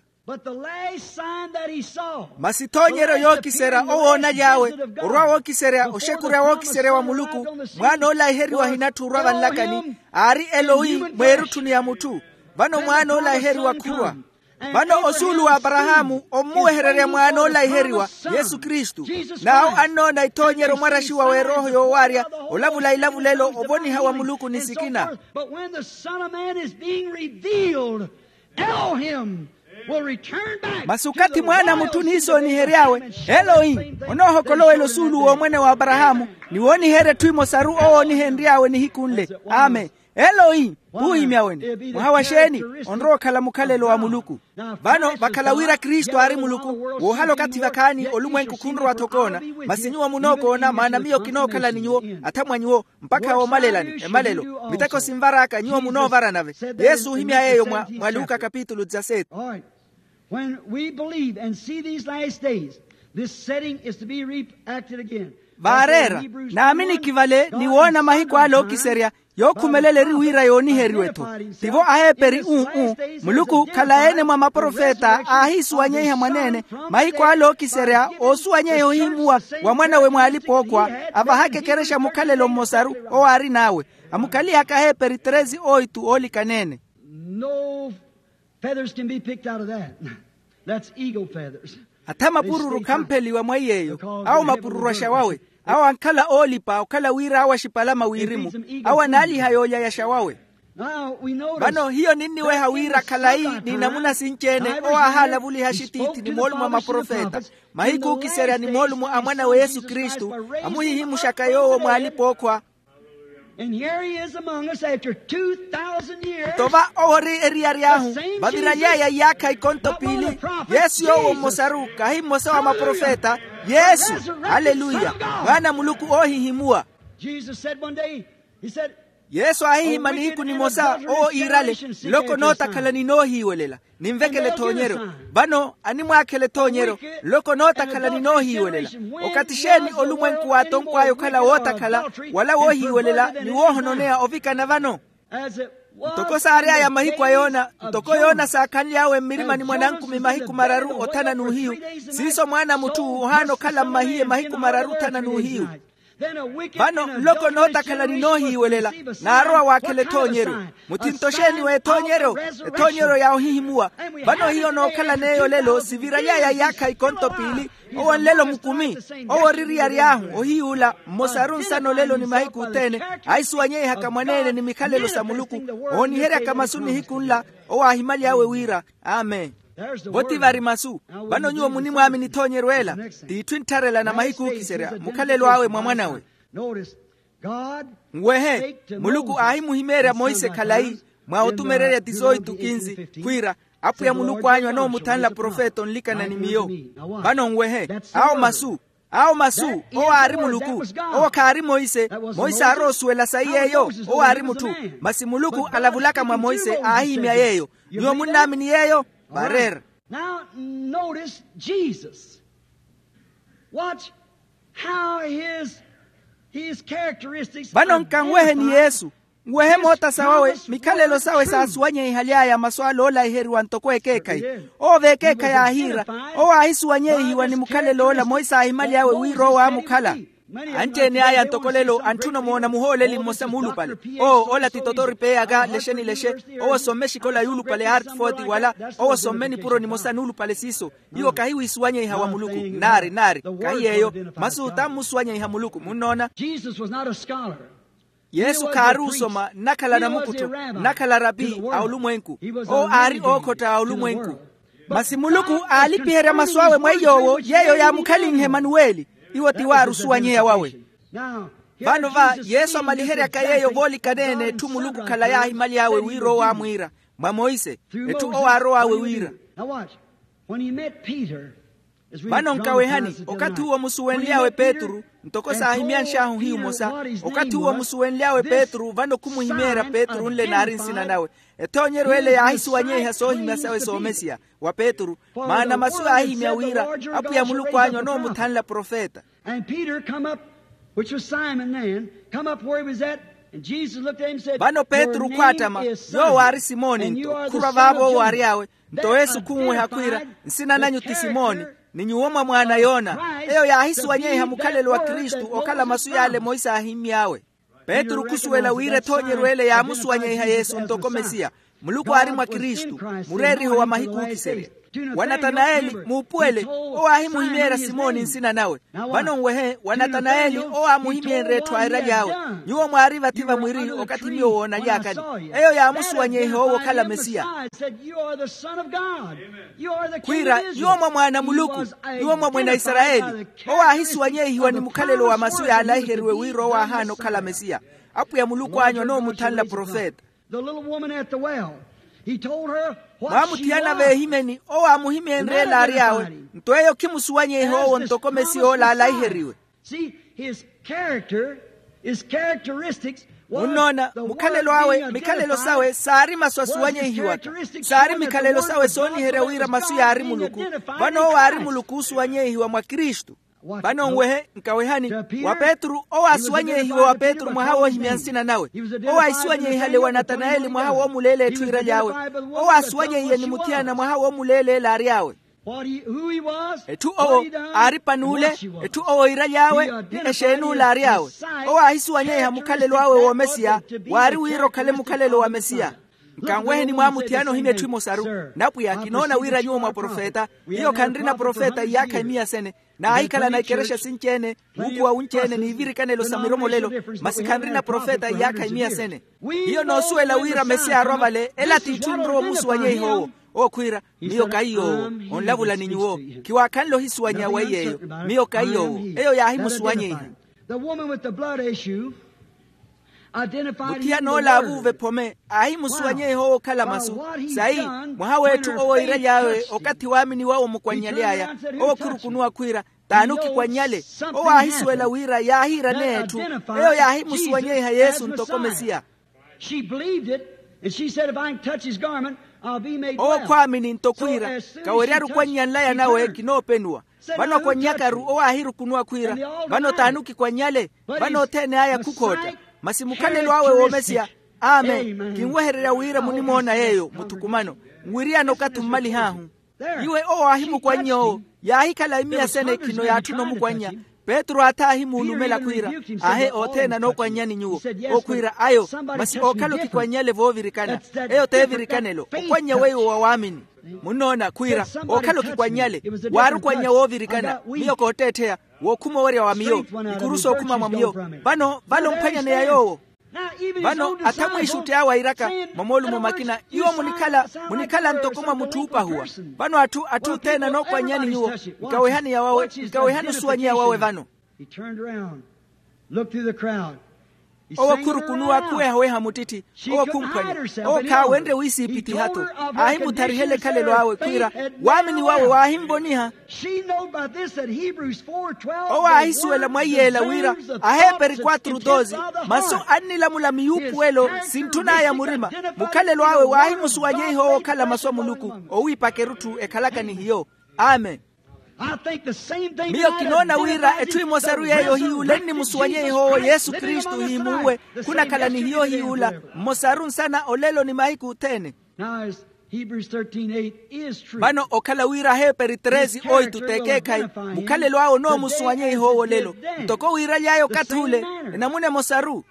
Masi ethoonyeryo yookiserya owoonaly'awe, orwa wookiserya oxekurya wookiserya wa muluku. Mwaana oolaiheriwa ahinatthu orwa vanlakani, aari elohi mweerutthuni ya mutthu. Vano mwaana oolaiheriwa khurwa. Vano osuulu w'aparahaamu ommuwehererya mwaana oolaiheriwa, yesu kristu. N'awo annoona ethoonyeryo mwaraxiwa w'erooho yoowarya, olavula ilavulelo ovoniha wa muluku ni sikina. Masi okathi mwaana a mutthu oniisoonihery'awe, elohi, onoohokolowela osuulu w'omwene w'aparahaamu, ni wooniherya etthu emosaru owo oonihenry'awe nihiku nle. Amen. Elohi, puuhimya wene mwaha wa xeeni? Onrowa okhala mukhalelo wa muluku. Vano vakhala wira kristu aari muluku, woohala okathi vakhaani olumwenku khunrowa-tho okoona. Masi nyuwo munookoona maana miyo kinookhala ni nyuwo, athamwa nyuwo, mpakha woomalelani emalelo miteko sinvar'aka nyuwo munoovara nave. Yesu ohimya yeeyo mwa luka kapitulu dizaseti. When we believe and see these last days, this setting is to be reacted again. Vaareera, naaminikhi vale ni woona mahiku ale ookiserya. Yookhumelela eri wira yooniheriwe-tho. Tivo aheeperi uu-uu, muluku khalayi-ene mwa maprofeta aahiisuwanyeiha mwaneene. Mahiku ale ookiserya oosuwanyeiha ohihimuwa wa mwanawe mw'alipa-ookhwa, avahaka ekerexa mukhalelo mmosaru owo aarin'awe. Amukhalihaka aheeperi treze oitu oolikana-ene. No feathers can be picked out of that. That's eagle feathers. Atha mapururu khampheliwa mwa iy'eyo. Awo mapururu axawawe. Awo ankhala oolipa okhala wira awo axipalama wirimu. Awo anaaliha yoolya yaxawawe. Vano hiyo ninniweha wira khalayi ni namuna sinci-ene owo aahaalavuliha axitiithi ni moolumo a maprofeta, mahiku ookiserya ni moolumo a mwanawe yesu kristu, amuhihimuxaka yoowo mw'alipa-ookhwa. And here he is among us after two thousand years. Nto va owo ori eriyari ahu vaviraly'aya iyaakha ikonto piili. Yesu yoowo mmosaru kahi mmosa wa maprofeta. Yesu. Haleluya. Mwaana a muluku oohihimuwa. Jesus said one day, he said, yesu aahihima nihiku nimosa owo iirale, nloko nootakhala ninoohiiwelela. Ninvekele ethoonyeryo. Vano animwaakhela ethoonyeryo. Nloko nootakhala ninoohiiwelela. Okathi xeeni olumwenku waatonkw'aya okhala wootakhala wala woohiiwelela ni woohononeya ovikana vano? Ntoko saary'aya mahiku a yona, ntoko yona saakhanly'awe mmirimani mwa nankumi mahiku mararu othana n'uhiyu, siiso mwaana a mutthu ohaana okhala mmahiye mahiku mararu othana n'uhiyu. Vano nloko nootakhala ninoohiiwelela, naarowa waakhela ethoonyeryo. Mutthinto xeeni w'ethoonyeryo? Ethoonyeryo ya ohihimuwa. Vano hiyo nookhalan'eyo olelo siviraly'aya iyaakha ikonto piili. Owo nlelo mukumi. Owo ori eriyari ahu ohiy'ula mmosaru nsana olelo ni mahiku othene, aahisuwanyeihaka mwaneene ni mikhalelo sa muluku, ooniheryaka masu nihiku nla. Owo aahimaly'awe wira, amen. Vo ti vari masu. Vano nyuwo munimwaamini ethoonyeryo ela. T'itthu enttharela na mahiku ookiserya mukhalelo awe mwa mwan'awe. Nwehe, muluku aahimuhimeerya monse khalayi mwa otumererya ti sooitu kinzi, khwiira, apwiya muluku anyu anoomuthanla profeta onlikana ni miyo. Vano nwehe, awo masu. Awo masu. Owo aari muluku. Owo khaari monse. Monse aarowa osuwela sayi yeeyo. Owo aari mutthu. Masi muluku alavulaka mwa monse aahihimya yeeyo. Nyuwo munnaamini yeeyo? Vareera. Now notice Jesus. Watch how his his characteristics. Vano nkanweheni yesu. Nwehe moota sawawe. Mikhalelo sawe saasuwanyeihaly'aya masu ale oolaiheriwa ntoko ekeekhayi. Owo v'ekeekhayi aahiira. Owo aahisuwanyeihiwa ni mukhalelo ola monse aahimaly'awe wira owo aamukhala. Anci-ene aya ntoko lelo antthuna omoona muhooleli mmosa muulupale. Owo ola ti totori p'eyaka lexe ni lexe. Owo somme exikola yuulupale hartford wala. Owo somme nipuro nimosa nuulupale siiso. Iwo kahi wiisuwanyeiha wa muluku. Naari naari. Kahi yeeyo. Masu tammusuwanyeiha muluku munnoona. Jesus was not a scholar. Yesu khaari osoma nnakhala namukuttho. Nnakhala rapi a olumwenku. Owo aari ookhotta a olumwenku. Masi muluku aalipiherya masu awe mwa iy'owo yeeyo yaamukhalinhe emanuweli. Iwo ti waari osuwanyeya wawe. Vano va yesu amaliheryaka yeeyo voolikana-ene etthu muluku khalayi aahimaly'awe wira owo aamwiira mwa monse. Etthu owo aarow'awe wira. Vano nkawehani, okathi uwo musuwenly'awe petru ntoko saahimyanx'ahu hiyu mosa. Okathi uwo musuwenly'awe petru vano khumuhimeerya petru nle naari nsina nawe. Ethoonyeryo ele yaahisuwanyeiha soohimya sawe soomesiya wa petru. Maana masu yaahihimya wira apwiya muluku anyu anoomuthanla profeta. And peter come up, which was simon then, come up where he was at. And jesus looked at him and said, vano petru khwaattama. Yoowo aari simoni nto khurwa vaavo owo aary'awe. Nto yesu khunweha khwiira, nsina nanyu ti simoni, ni nyuwo mwa mwaana yona. Eyo yaahisuwanyeiha mukhalelo wa kristu okhala masu yaale monse aahimmy'awe. Petru khusuwela wira ethoonyeryo ele yaamusuwanyeiha yesu ntoko mesiya. Muluku aari mwa kristu, mureeriho wa mahiku ookiserya. Wa natanaeli muupuwele. Owo aahimuhimeerya simoni nsina nawe. Vano nwehe wa natanaeli owo aamuhimyenrye etthu aeraly'awe. Nyuwo mwaari vathi vamwiri okathi miyo woonaly'akani. Eyo yaamusuwanyeiha owo okhala mesiya. Khwiira nyuwo mwa mwaana a muluku. Nyuwo mwa mwene a isarayeli. Owo aahisuwanyeihiwa ni mukhalelo wa masu yaalaiheriwe wira owo aahaana okhala mesiya. Apwiya muluku anyu anoomuthanla profeta. Mwaamuthiyana veehimeni owo aamuhimyenrye ela aary'awe. Nto eyo khimusuwanyeiha owo ntoko mesiya ola aalaiheriwe. Munnoona mukhalelo awe mikhalelo sawe saari masu asuwanyeihiwaka. Saari mikhalelo sawe sooniherya wira masu yaari muluku. Vano owo aari muluku oosuwanyeihiwa mwa kristu. Vano nwehe nkawehani, wa petru owo aasuwanyeihiwe wa petru mwaha woohimya nsina nawe. Owo aahisuwanyeihale wa natanayeli mwaha woomuleela etthu iiraly'awe. Owo aasuwanyeiye ni muthiyana mwaha woomuleeleela aary'awe. Etthu owo aari pan'ule, etthu owo iiraly'awe ni exeen'ule aary'awe. Owo aahisuwanyeiha mukhalelo awe w'omesiya. Waari wira okhale mukhalelo wa mesiya. Nkanweheni mwamuthiyana ohimya etthu emosaru. Napwiya kinoona wira nyuwo mwa profeta. Hiyo khanrina profeta iyaakha imiya sene. Naahikhalana ikerexa sinci-ene, wuukhuwa wunci-ene n'ivirikanelo sa miromolelo. Masi khanrina profeta iyaakha imiya sene. Hiyo noosuwela wira mesiya arwa vale ela t'itthu enrowa omusuwanyeiha owo. Owo khwiira, miyo kahi yoowo. Onlavula ni nyuwo. Khiwaakhanle ohisuwanya wa iy'eyo. Miyo kahi yoowo. Eyo yaahimusuwanyeiha. Muthiyana ola aavuuva ephome aahimusuwanyeiha owo okhala masu. Sayi, mwaha w'etthu owo iiraly'awe okathi waamini wawe omukwannyale aya. Owo khurukunuwa khwiira, t'ani okikwannyale? Owo aahisuwela wira yaahiiraneya etthu. Eyo yaahimusuwanyeiha yesu ntoko mesiya. Owo khwaamini nto khwiira, kaweryaru okwannya nlaya nawe kinoopenuwa. Vano okwannyakaru owo aahirukunuwa khwiira, vano t'ani okikwannyale? Vano othene aya khukhootta. Masi mukhalelo awe w'omesiya. Amen. Kinwehererya wira munimoona yeeyo muthukumano. Nwiriyana okathi ommalih'ahu. Iwe owo aahimukwannya owo. Yaahikhala imiya sene khino yaatthuna omukwannya. Petru aatha aahimuulumela khwiira, ahe othene anookwannyani nyuwo. Okhwiira ayo. Masi ookhala okikwannyale voovirikana. Eyo t'evirikanelo okwannya weiwo wa waamini. Munnoona khwiira, ookhala okikwannyale. Waari okwannya woovirikana miyo kootteettheya. Wookhuma owerya wa miyo. Ikuru sookhuma mwa miyo. Vano vale omphwanyaneya yoowo. Vano atha mwiixutti awo airaka mwa moolumo makina iwo munikhala munikhala ntoko mwa mutthu oopahuwa. Vano atthu atthu othene anookwannyani nyuwo. Nkawehani yawawe nkawehani osuwanyeya wawe vano. Owo khurukunuwa khuwehaweha muttitthi. Owo khumphwanya. Owo khaawenrye wiisiipithiha-tho. Aahimutharihela ekhalelo awe khwiira waamini wawe waahimvoniha. Owo aahisuwela mwa iyeela wira aheperi kwatru doze masu annilamula miyuupuwelo sintthun'aya murima. Mukhalelo awe waahimusuwanyeiha owo okhala masu a muluku. Owiipaka erutthu ekhalaka ni hiyo. Amen. Miyo kinoona wira etthu emosaru yeeyo ohiyuula ennimusuwanyeiha owo yesu kristu ohiimuuwe. Khunakhala ni hiyo ohiyuula mmosaru nsana olelo ni mahiku othene. Vano okhala wira aheperi tresi oitu t'ekeekhayi. Mukhalelo awe onoomusuwanyeiha owo olelo ntoko wiiraly'aya okathi ule enamuna emosaru.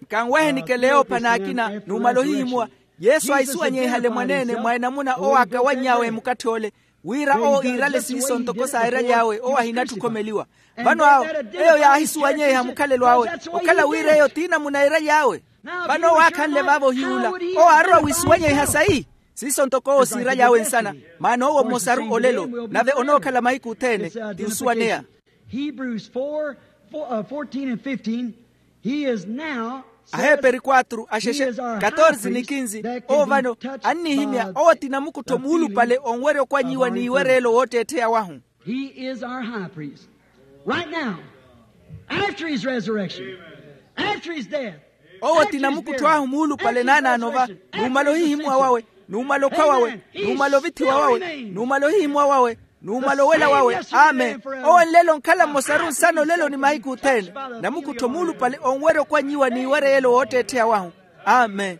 Nkanwehe nikele yoopha n'akina numala ohihimuwa. Yesu aahisuwanyeihale mwaneene mwa enamuna owo aakawanny'awe mukatthi ole wira owo iirale siiso ntoko saairaly'awe owo ahinatthi okhomeliwa. Vano awo eyo yaahisuwanyeiha mukhalelo awe okhala wira eyo t'inamuna iiraly'awe. Vano owo aakhanle vaavo ohiyuula owo aarowa wiisuwanyeiha sayi? Siiso ntoko owo siiraly'awe nsana maana owo mmosaru olelo nave onookhala mahiku othene. Ti osuwaneya. Hebrews four, fourteen and fifteen. He is now aheperi kwatru axexe katorse ni kinsi. Owo vano annihimya owo ti namukuttho muulupale onwerya okwanyiwa n'iwereelo wootteettheya wahu. He is our high priest right now, after his resurrection, after his death. Owo ti namukuttho ahu muulupale naanaano va numala ohihimuwa wawe, numala okhwa wawe, numala ovithiwa wawe, numala ohihimuwa wawe, numala owela wawe. Amen. Owo nlelo onkhala mmosaru nsana olelo ni mahiku othene. Namukuttho muulupale onwerya okwanyiwa n'iwereyelo wootteettheya wahu. Amen.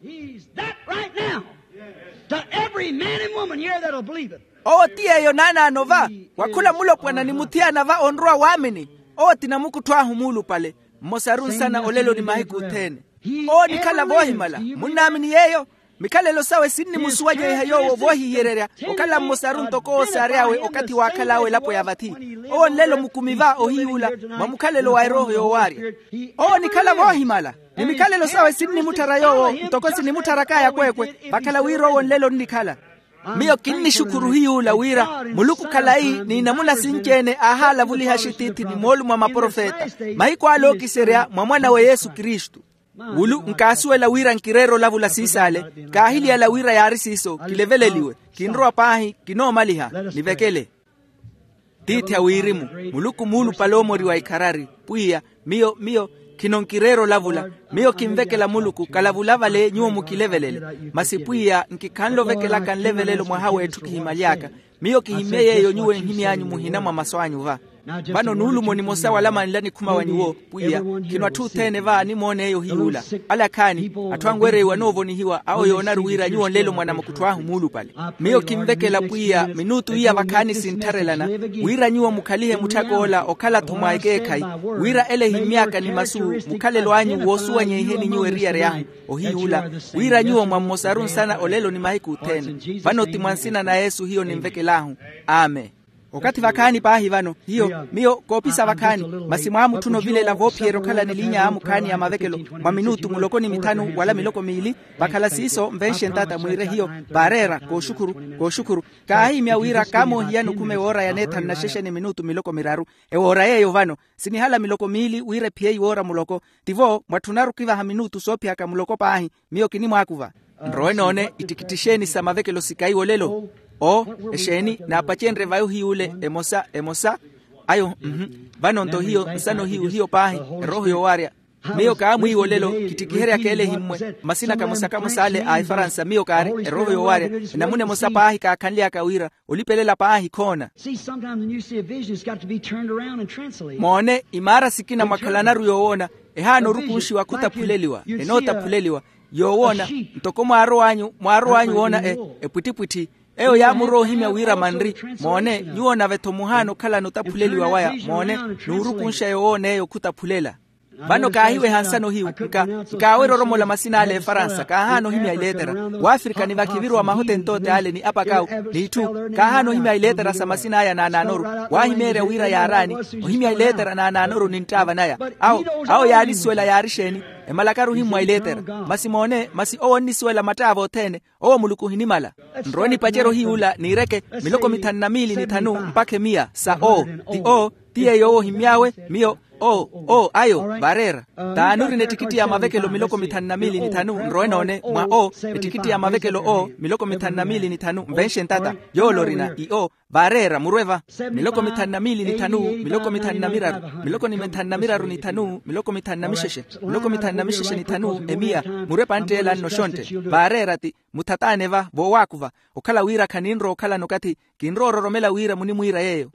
He's that right now to every man and woman here that'll believe it. Owo ti yeeyo naanaano va wa khula mulopwana ni muthiyana va onrowa waamini. Owo ti namukuttho ahu muulupale mmosaru nsana olelo ni mahiku othene. Owo onikhala voohimala munnaamini yeeyo? Mikhalelo sawe sinnimusuwanyeiha yoowo voohihiyererya okhala mmosaru ntoko owo saary'awe okathi waakhal'awe elapo ya vathi. Owo nlelo mukumi va ohiyuula mwa mukhalelo wa erooho yoowaarya. Owo onikhala voohimala ni mikhalelo sawe sinnimutthara yoowo ntoko sinimutthara kaaya kweekwe. Vakhala wira owo nlelo onnikhala. Miyo kinnixukhuru hiyuula wira muluku khalayi n'inamuna sinci-ene aahalavuliha axitiithi ni moolumo a maprofeta mahiku ale ookiserya mwa mwan'awe yesu kristu. Wulu nkaasuwela wira nkireera olavula siisaale. Kaahiliyala wira yaari siiso kileveleliwe kinrowa paahi kinoomaliha. Nivekele tiithi a wirimu muluku muulupale oomoriwa ikharari. Pwiya miyo miyo khino nkireera olavula. Miyo kinvekela muluku kalavula vale nyuwo mukilevelele. Masi pwiya nkikhanle ovekelaka nlevelelo mwaha w'etthu kihimyaly'aka. Miyo kihimmye yeeyo nyuwo enhimy'anyu muhina mwa masu anyu va. Vano nuulumo nimosa wala manla nikhuma wa nyuwo, pwiya, khino atthu othene va animoon'eyo hiy'ula. Ale akhaani, atthu anwereiwa noovonihiwa awo yoonaru wira nyuwo nlelo mwa namukuttho ahu muulupale. Miyo kinvekela pwiya minutu iya vakhaani sinttharelana, wira nyuwo mukhalihe mutthak'ola okhala-tho mwa ekeekhayi, wira ele ehimy'aka ni masu, mukhalelo anyu woosuwanyeiheni nyuwo eriyari ahu, ohiy'ula, wira nyuwo mwammosaru nsana olelo ni mahiku othene. Vano ti mwa nsina na yesu hiyo ninvekel'ahu. Amen. Okathi vakhaani paahi vano hiyo miyo koopisa vakhaani, masi mwaamutthuna ovilela voophiyerya okhala ni liinya yaamukhaani ya mavekelo mwa minutu muloko ni mithanu wala miloko miili. Vakhala siiso nvenxe ntata mwiire hiyo, vaareera kooxukhuru, kooxukhuru. Kaahihimya wira kaamoohiyani okhume woora ya neethanu na xexe ni minutu miloko miraru. Ewoora yeeyo vano sinihala miloko miili wira ephiyeyi woora muloko. Tivo mwatthunaru okivaha minutu soophiyaka muloko paahi. Miyo kinimwaakuva. Nrowe noone ittikitti exeeni sa mavekelo sikaiwo olelo? Oo, exeeni naapacenrye vayo hiy'ule emosa emosa. Ayo mhu. Vano-nto hiyo nsano hiyu hiyo paahi, erooho yoowaarya. Miyo kaamwiiwa olelo kittikiheryaka ele ehimmwe. Masina kamosa kamosa ale a efaransa miyo kaari erooho yoowaarya. Enamuna emosa paahi kaakhanly'aka wira olipelela paahi khoona. See sometimes when you see a vision it's got to be turned around and translated. Moone imaara sikina mwakhalanaru yoowoona, ehaana orukunxiwa khutaphuleliwa enootaphuleliwa. Yoowoona ntoko mwaarow'anyu mwaarow'anyu woona epwittipwitthi. Eyo yaamurowa ohimya wira manri. Moone nyuwo nave-tho muhaana okhalana otaphuleliwa waya moone, n'urukunxa yowoon'eyo khutaphulela. Vano kaahiweha nsano hiyu. Nkaawerya oromola masina ale efaransa kaahaana ohimya ileetera. Waafrika ni vakhiviruwa mahotentote ale ni apakawu, n'itthu kaahaana ohimya ileetera sa masina aya naanaanoru. Waahimeerya wira yaaraani ohimya ileetera naanaanoru ni nttaava naya. Awo awo yaalisiwela yaari exeeni? Emalakaru ohimmwa ileetera. Masi moone masi owo onnisiwela mattaava othene. Owo muluku ohinimala. Nrowe nipacerye ohiy'ula niireke miloko mithanu na miili ni thanu mpakha emiya sa oo. Ti oo ti yeeyo owo ohimmy'awe. Miyo oo oo ayo vaareera. Taani orina ettikitti ya mavekelo miloko mithanu na miili ni thanu nrowe noone mwa oo. Ettikitti ya mavekelo oo miloko mithanu na miili ni thanu nvenxe ntata. Yoole orina i oo. Vaareera murwe va. Miloko mithanu na miili ni thanu miloko mithanu na miraru miloko ni mithanu na miraru ni thanu miloko mithanu na mixexe miloko mithanu na mixexe ni thanu emiya. Murwe pantt'ela nno xontte. Vaareera ti muthataane va voowaakuva. Okhala wira khaninrowa okhalana okathi kinrowa ororomela wira munimwiira yeeyo.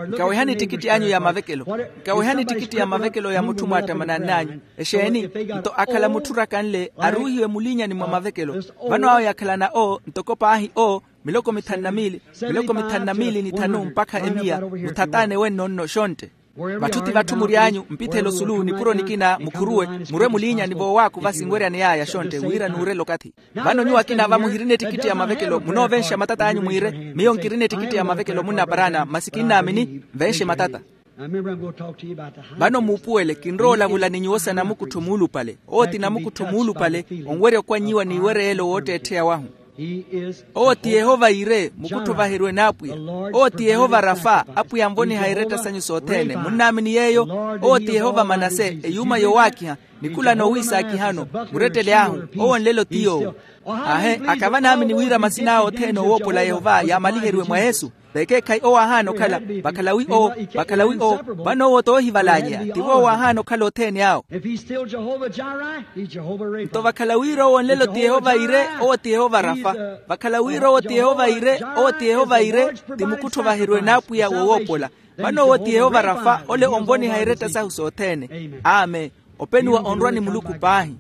Nkawehani ettikitti anyu ya mavekelo. Nkawehani ettikitti ya mavekelo ya mutthu mwaattamanann'anyu. Exeeni? Nto akhala mutthu orakanle aruuhiwe muliinyani mwa mavekelo. Vano awo yakhalana oo ntoko paahi oo miloko mithanu na miili miloko mithanu na miili ni thanu mpakha emiya. Muthataane wenno nno xontte. Vatthu ti vatthu mury'anyu mpithele osulu nipuro nikina mukhuruwe. Murwe muliinyani voowaakuva sinweryaney'aya xontte wira nuurela okathi. Vano nyuwo akina va muhirina ettikitti ya mavekelo munoovenxa matat'anyu mwiire miyo nkirina ettikitti ya mavekelo munnaparaana masi kinnaamini. Nvenxe matata. Vano muupuwele kinrowa olavula ni nyuwo sa namukuttho muulupale. Owo ti namukuttho muulupale onwerya okwannyiwa n'iwereyelo wootteettheya wahu. Owo ti yehova yire mukuttho ovaheriwe n'apwiya. Owo ti yehova rafa apwiya anvoniha iretta sanyu sothene munnaamini yeeyo. Owo ti yehova manase eyuuma yowaakiha nikhula noowiisaakihano. Murettele ahu owo nlelo ti yoowo. Aahe akava naamini wira masin'awe othene owoopola yehova yaamaliheriwe mwa yesu. Vekeekhayi owo aahaana okhala vakhalawi owo vakhalawi owo. Vano owo toohivalanyeya ti voowo aahaana okhala othene awo. Nto vakhala wira owo nlelo ti yehova ire owo ti yehova rafa. Vakhala wira owo ti yehova ire owo ti yehova ire ti mukuttho ovaheriwe n'apwiya wowoopola. Vano owo ti yehova rafa ole onvoniha iretta sahu sothene. Amen. Openiwa onrwa ni muluku paahi.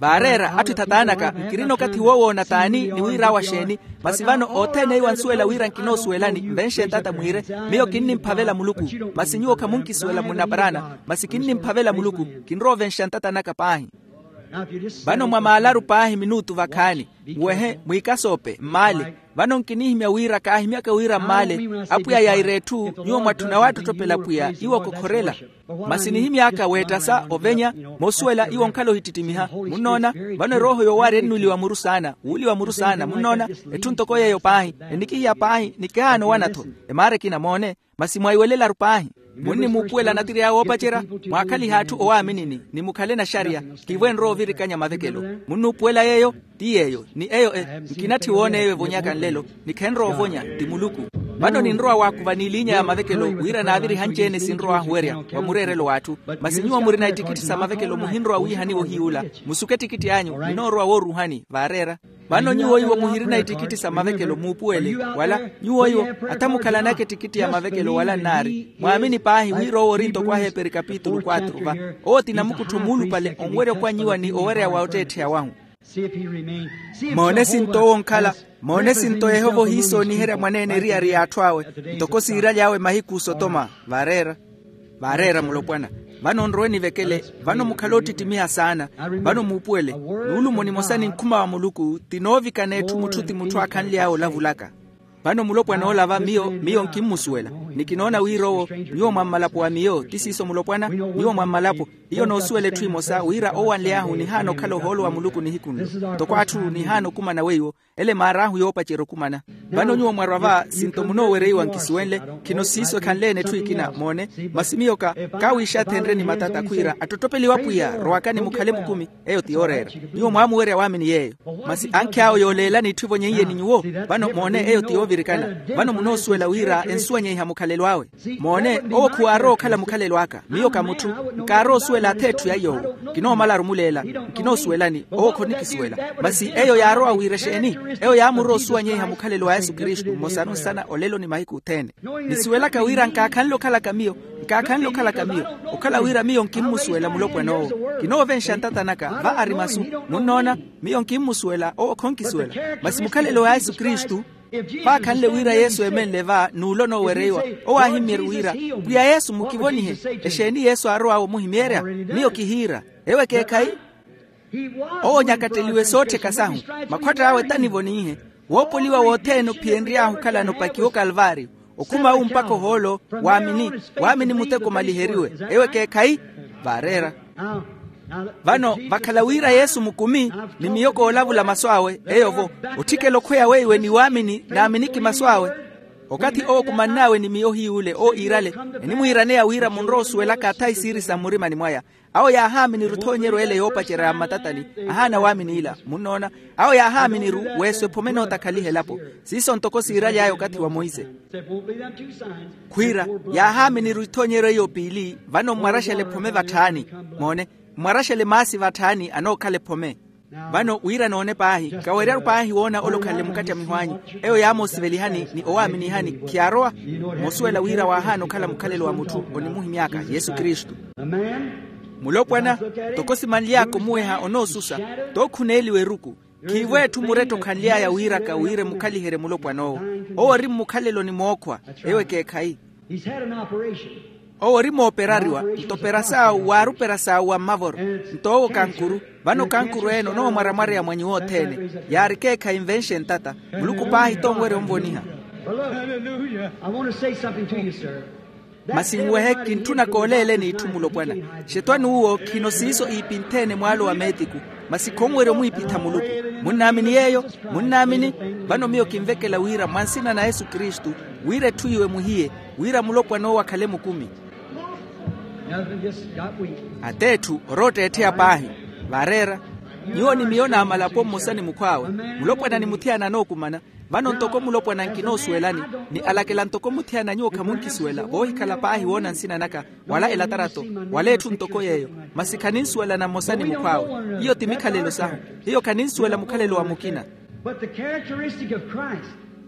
Vaareera atthu ethataanaka nkirina okathi woowoona t'ani ni wir'awe axeeni? Masi vano othene iwo ansuwela wira nkinoosuwelani nvenxe ntata mwiire. Miyo kinnimphavela muluku. Masi nyuwo khamunkisuwela munnaparaana masi kinnimphavela muluku. Kinrowa ovenxa ntata naka paahi. Vano mwamaalaru paahi minutu vakhaani muwehe mwiikasoope mmaale. Vano nkinihimya wira kaahimyaka wira mmaale apwiya yaira etthu nyuwo mwatthuna waattotthopela apwiya iwo kokhorela. Masi nihimy'aka weettasa ovenya moosuwela iwo onkhala ohittittimiha. Munnoona? Vano erooho yoowaari ennuliwa muru saana wuuliwa muru saana munnoona? Etthu ntoko yeeyo paahi enikihiya paahi nikihaana owana-tho. Emaara ekina moone. Masi mwaiwelelaru paahi. Munnimuupuwela natiri awe oopacerya mwaakhalihe atthu owaaminini ni mukhale naxariya. Kivo enrowa ovirikanya mavekelo munnuupuwela yeeyo. Ti yeeyo ni eyo e nkinatthi woona eyo evonyaka nlelo. Ni khenrowa ovonya ti muluku. Vano ninrowa waakuva n'iliinya ya mavekelo wira naavirihanci-ene sinrow'ahu werya wa mureerelo w'atthu. Masi nyuwo murina ittikitthi sa mavekelo muhinrowa wiihaniwa ohiy'ula. Musuke ettikitthi anyu ninoorowa wooruuhani vaareera. Vano nyuwo iwo muhirina ittikitti sa mavekelo muupuwele wala nyuwo iwo ata mukhalanaka ettikitti ya mavekelo wala nnaari mwaamini paahi wira owo ori ntoko aheeperi kapitulu kwatru va. Owo ti namukuttho muulupale onwerya okwanyiwa ni owereya wa otteettheya wahu. Moone sinto owo onkhala moone sinto yehova ohiisooniherya mwaneene eriyari y'atthu awe ntoko siiraly'awe mahiku osotoma. Vaareera vaareera mulopwana. Vano nrowe nivekele vano mukhale oottittimiha saana. Vano muupuwele nuulumo nimosa ni nkhuma wa muluku ti noovikana etthu mutthu ti mutthu aakhanly'awe olavulaka. Vano mulopwana ola va miyo miyo nkimmusuwela ni kinoona wira owo nyuwo mwa mmalapo wa miyo ti siiso mulopwana nyuwo mwa mmalapo. Hiyo noosuwela etthu emosa wira owanly'ahu nihaana okhala ohoolo wa muluku nihiku nlo ntoko atthu nihaana okumana weiwo ele maar'ahu yoopacerya okumana. Vano nyuwo mwarwa va sinto munoowereiwa nkisuwenle khino siiso ekhanle-ene etthu ekina moone. Masi miyo ka kaawiixathenrye ni matata khwiira attottopeliwa pwiya rowakani mukhale mukumi. Eyo ti yooreera nyuwo mwaamuwerya waamini yeeyo. Masi ankhi awo yooleelani itthu evonyeiye ni nyuwo. Vano moone eyo ti yoovirikana vano munoosuwela wira ensuwanyeiha mukhalelo awe. Moone owo khuwaarowa okhala mukhalelo aka miyo ka mutthu nkaarowa osuwela ath'etthu ya yoowo. Nkinoomalaru omuleela nkinoosuwelani owo khonikisuwela. Masi eyo yaarowa wira exeeni? Eyo yaamurowa osuwanyeiha mukhalelo wa yesu kristu mmosanu nsana olelo ni mahiku othene. Nisuwelaka wira nkaakhanle okhalaka miyo nkaakhanle okhalaka miyo okhala wira miyo nkimmusuwela mulopwana owo. Kinoovenxa ntata naka va ari masu munnoona miyo nkimmusuwela owo khonkisuwela. Masi mukhalelo wa yesu kristu vaakhanle wira yesu eemenle va n'ulo noowereiwa owo aahimmyerye wira pwiya yesu mukivonihe. Exeeni yesu aarow'awe omuhimyerya? Miyo kihiira ewo ekeekhayi. Owo onyakatteliwe soottheka sahu makhwatt'awe tanivoniihe. Woopoliwa wothene ophiyenry'ahu okhalano opakiwa okalvaariyo okhuma awu mpakha ohoolo waamini waamini muteko omaliheriwe. Ewo ekeekhayi vaareera. Vano vakhala wira yesu mukumi ni miyo koolavula masu awe eyo-vo otthikela okhweya weiwe ni waamini naaminiki masu awe. Okathi owo okumann'awe ni miyo ohiy'ule owo iirale enimwiiraneya wira munrowa osuwelaka athayi siiri sa mmurimani mwaya. Awo yaahaaminiru ethoonyeryo ele yoopacerya ya mmatatani ahaana waamin'ila munnoona. Awo yaahaaminiru weeso ephome enootakhaliha elapo siiso ntoko siiraly'aya okathi wa monse. Khwiira yaahaaminiru ithoonyeryo eyo piili vano mmwaraxele ephome vatthaani. Moone mmwaraxele maasi vatthaani anookhala ephome. Vano wira noone paahi kaweryaru paahi woona ole okhanle mukattamiho anyu. Eyo yaamoosivelihani ni owaaminihani khiyaarowa moosuwela wira waahaana okhala mukhalelo wa mutthu onimuhimy'aka yesu kristu. Mulopwana ntoko simanly'aka omuweha onoosusa tookhuneeliwa eruku. Khiivo etthu muretta okhanly'aya wiiraka wira emukhaliherye mulopwan'owo. Owo ori mmukhaleloni mookhwa. Ewo ekeekhayi. Owo ori mooperariwa nto pera saawu waari opera saawu wa mmavoro. Nto owo kankuru vano kankuru ene onoomwaramwareya mwa nyuwo othene. Yaari ekeekhayi nvenxe ntata muluku paahi tonwerya onvoniha. Masi nwehe kintthuna kooleeleni itthu mulopwana. Xetwani uwo khino siiso iipintheene mwaalo wa meetiku. Masi khonwerya omwiipitha muluku. Munnaamini yeeyo? Munnaamini? Vano miyo kinvekela wira mwa nsina na yesu kristu wira etthu iwe muhiye wira mulopwan'owo akhale mukumi. Ateetthu orootteettheya paahi. Vaareera nyuwo ni miyo naamalapo mmosa ni mukhw'awe. Mulopwana ni muthiyana anookumana. Vano ntoko mulopwana nkinoosuwelani ni alakela ntoko muthiyana nyuwo khamunkisuwela voohikhala paahi woona nsina naka wala elatarato wala etthu ntoko yeeyo. Masi khaninsuwelana mmosa ni mukhw'awe. Hiyo ti mikhalelo sahu. Hiyo khaninsuwela mukhalelo wa mukina.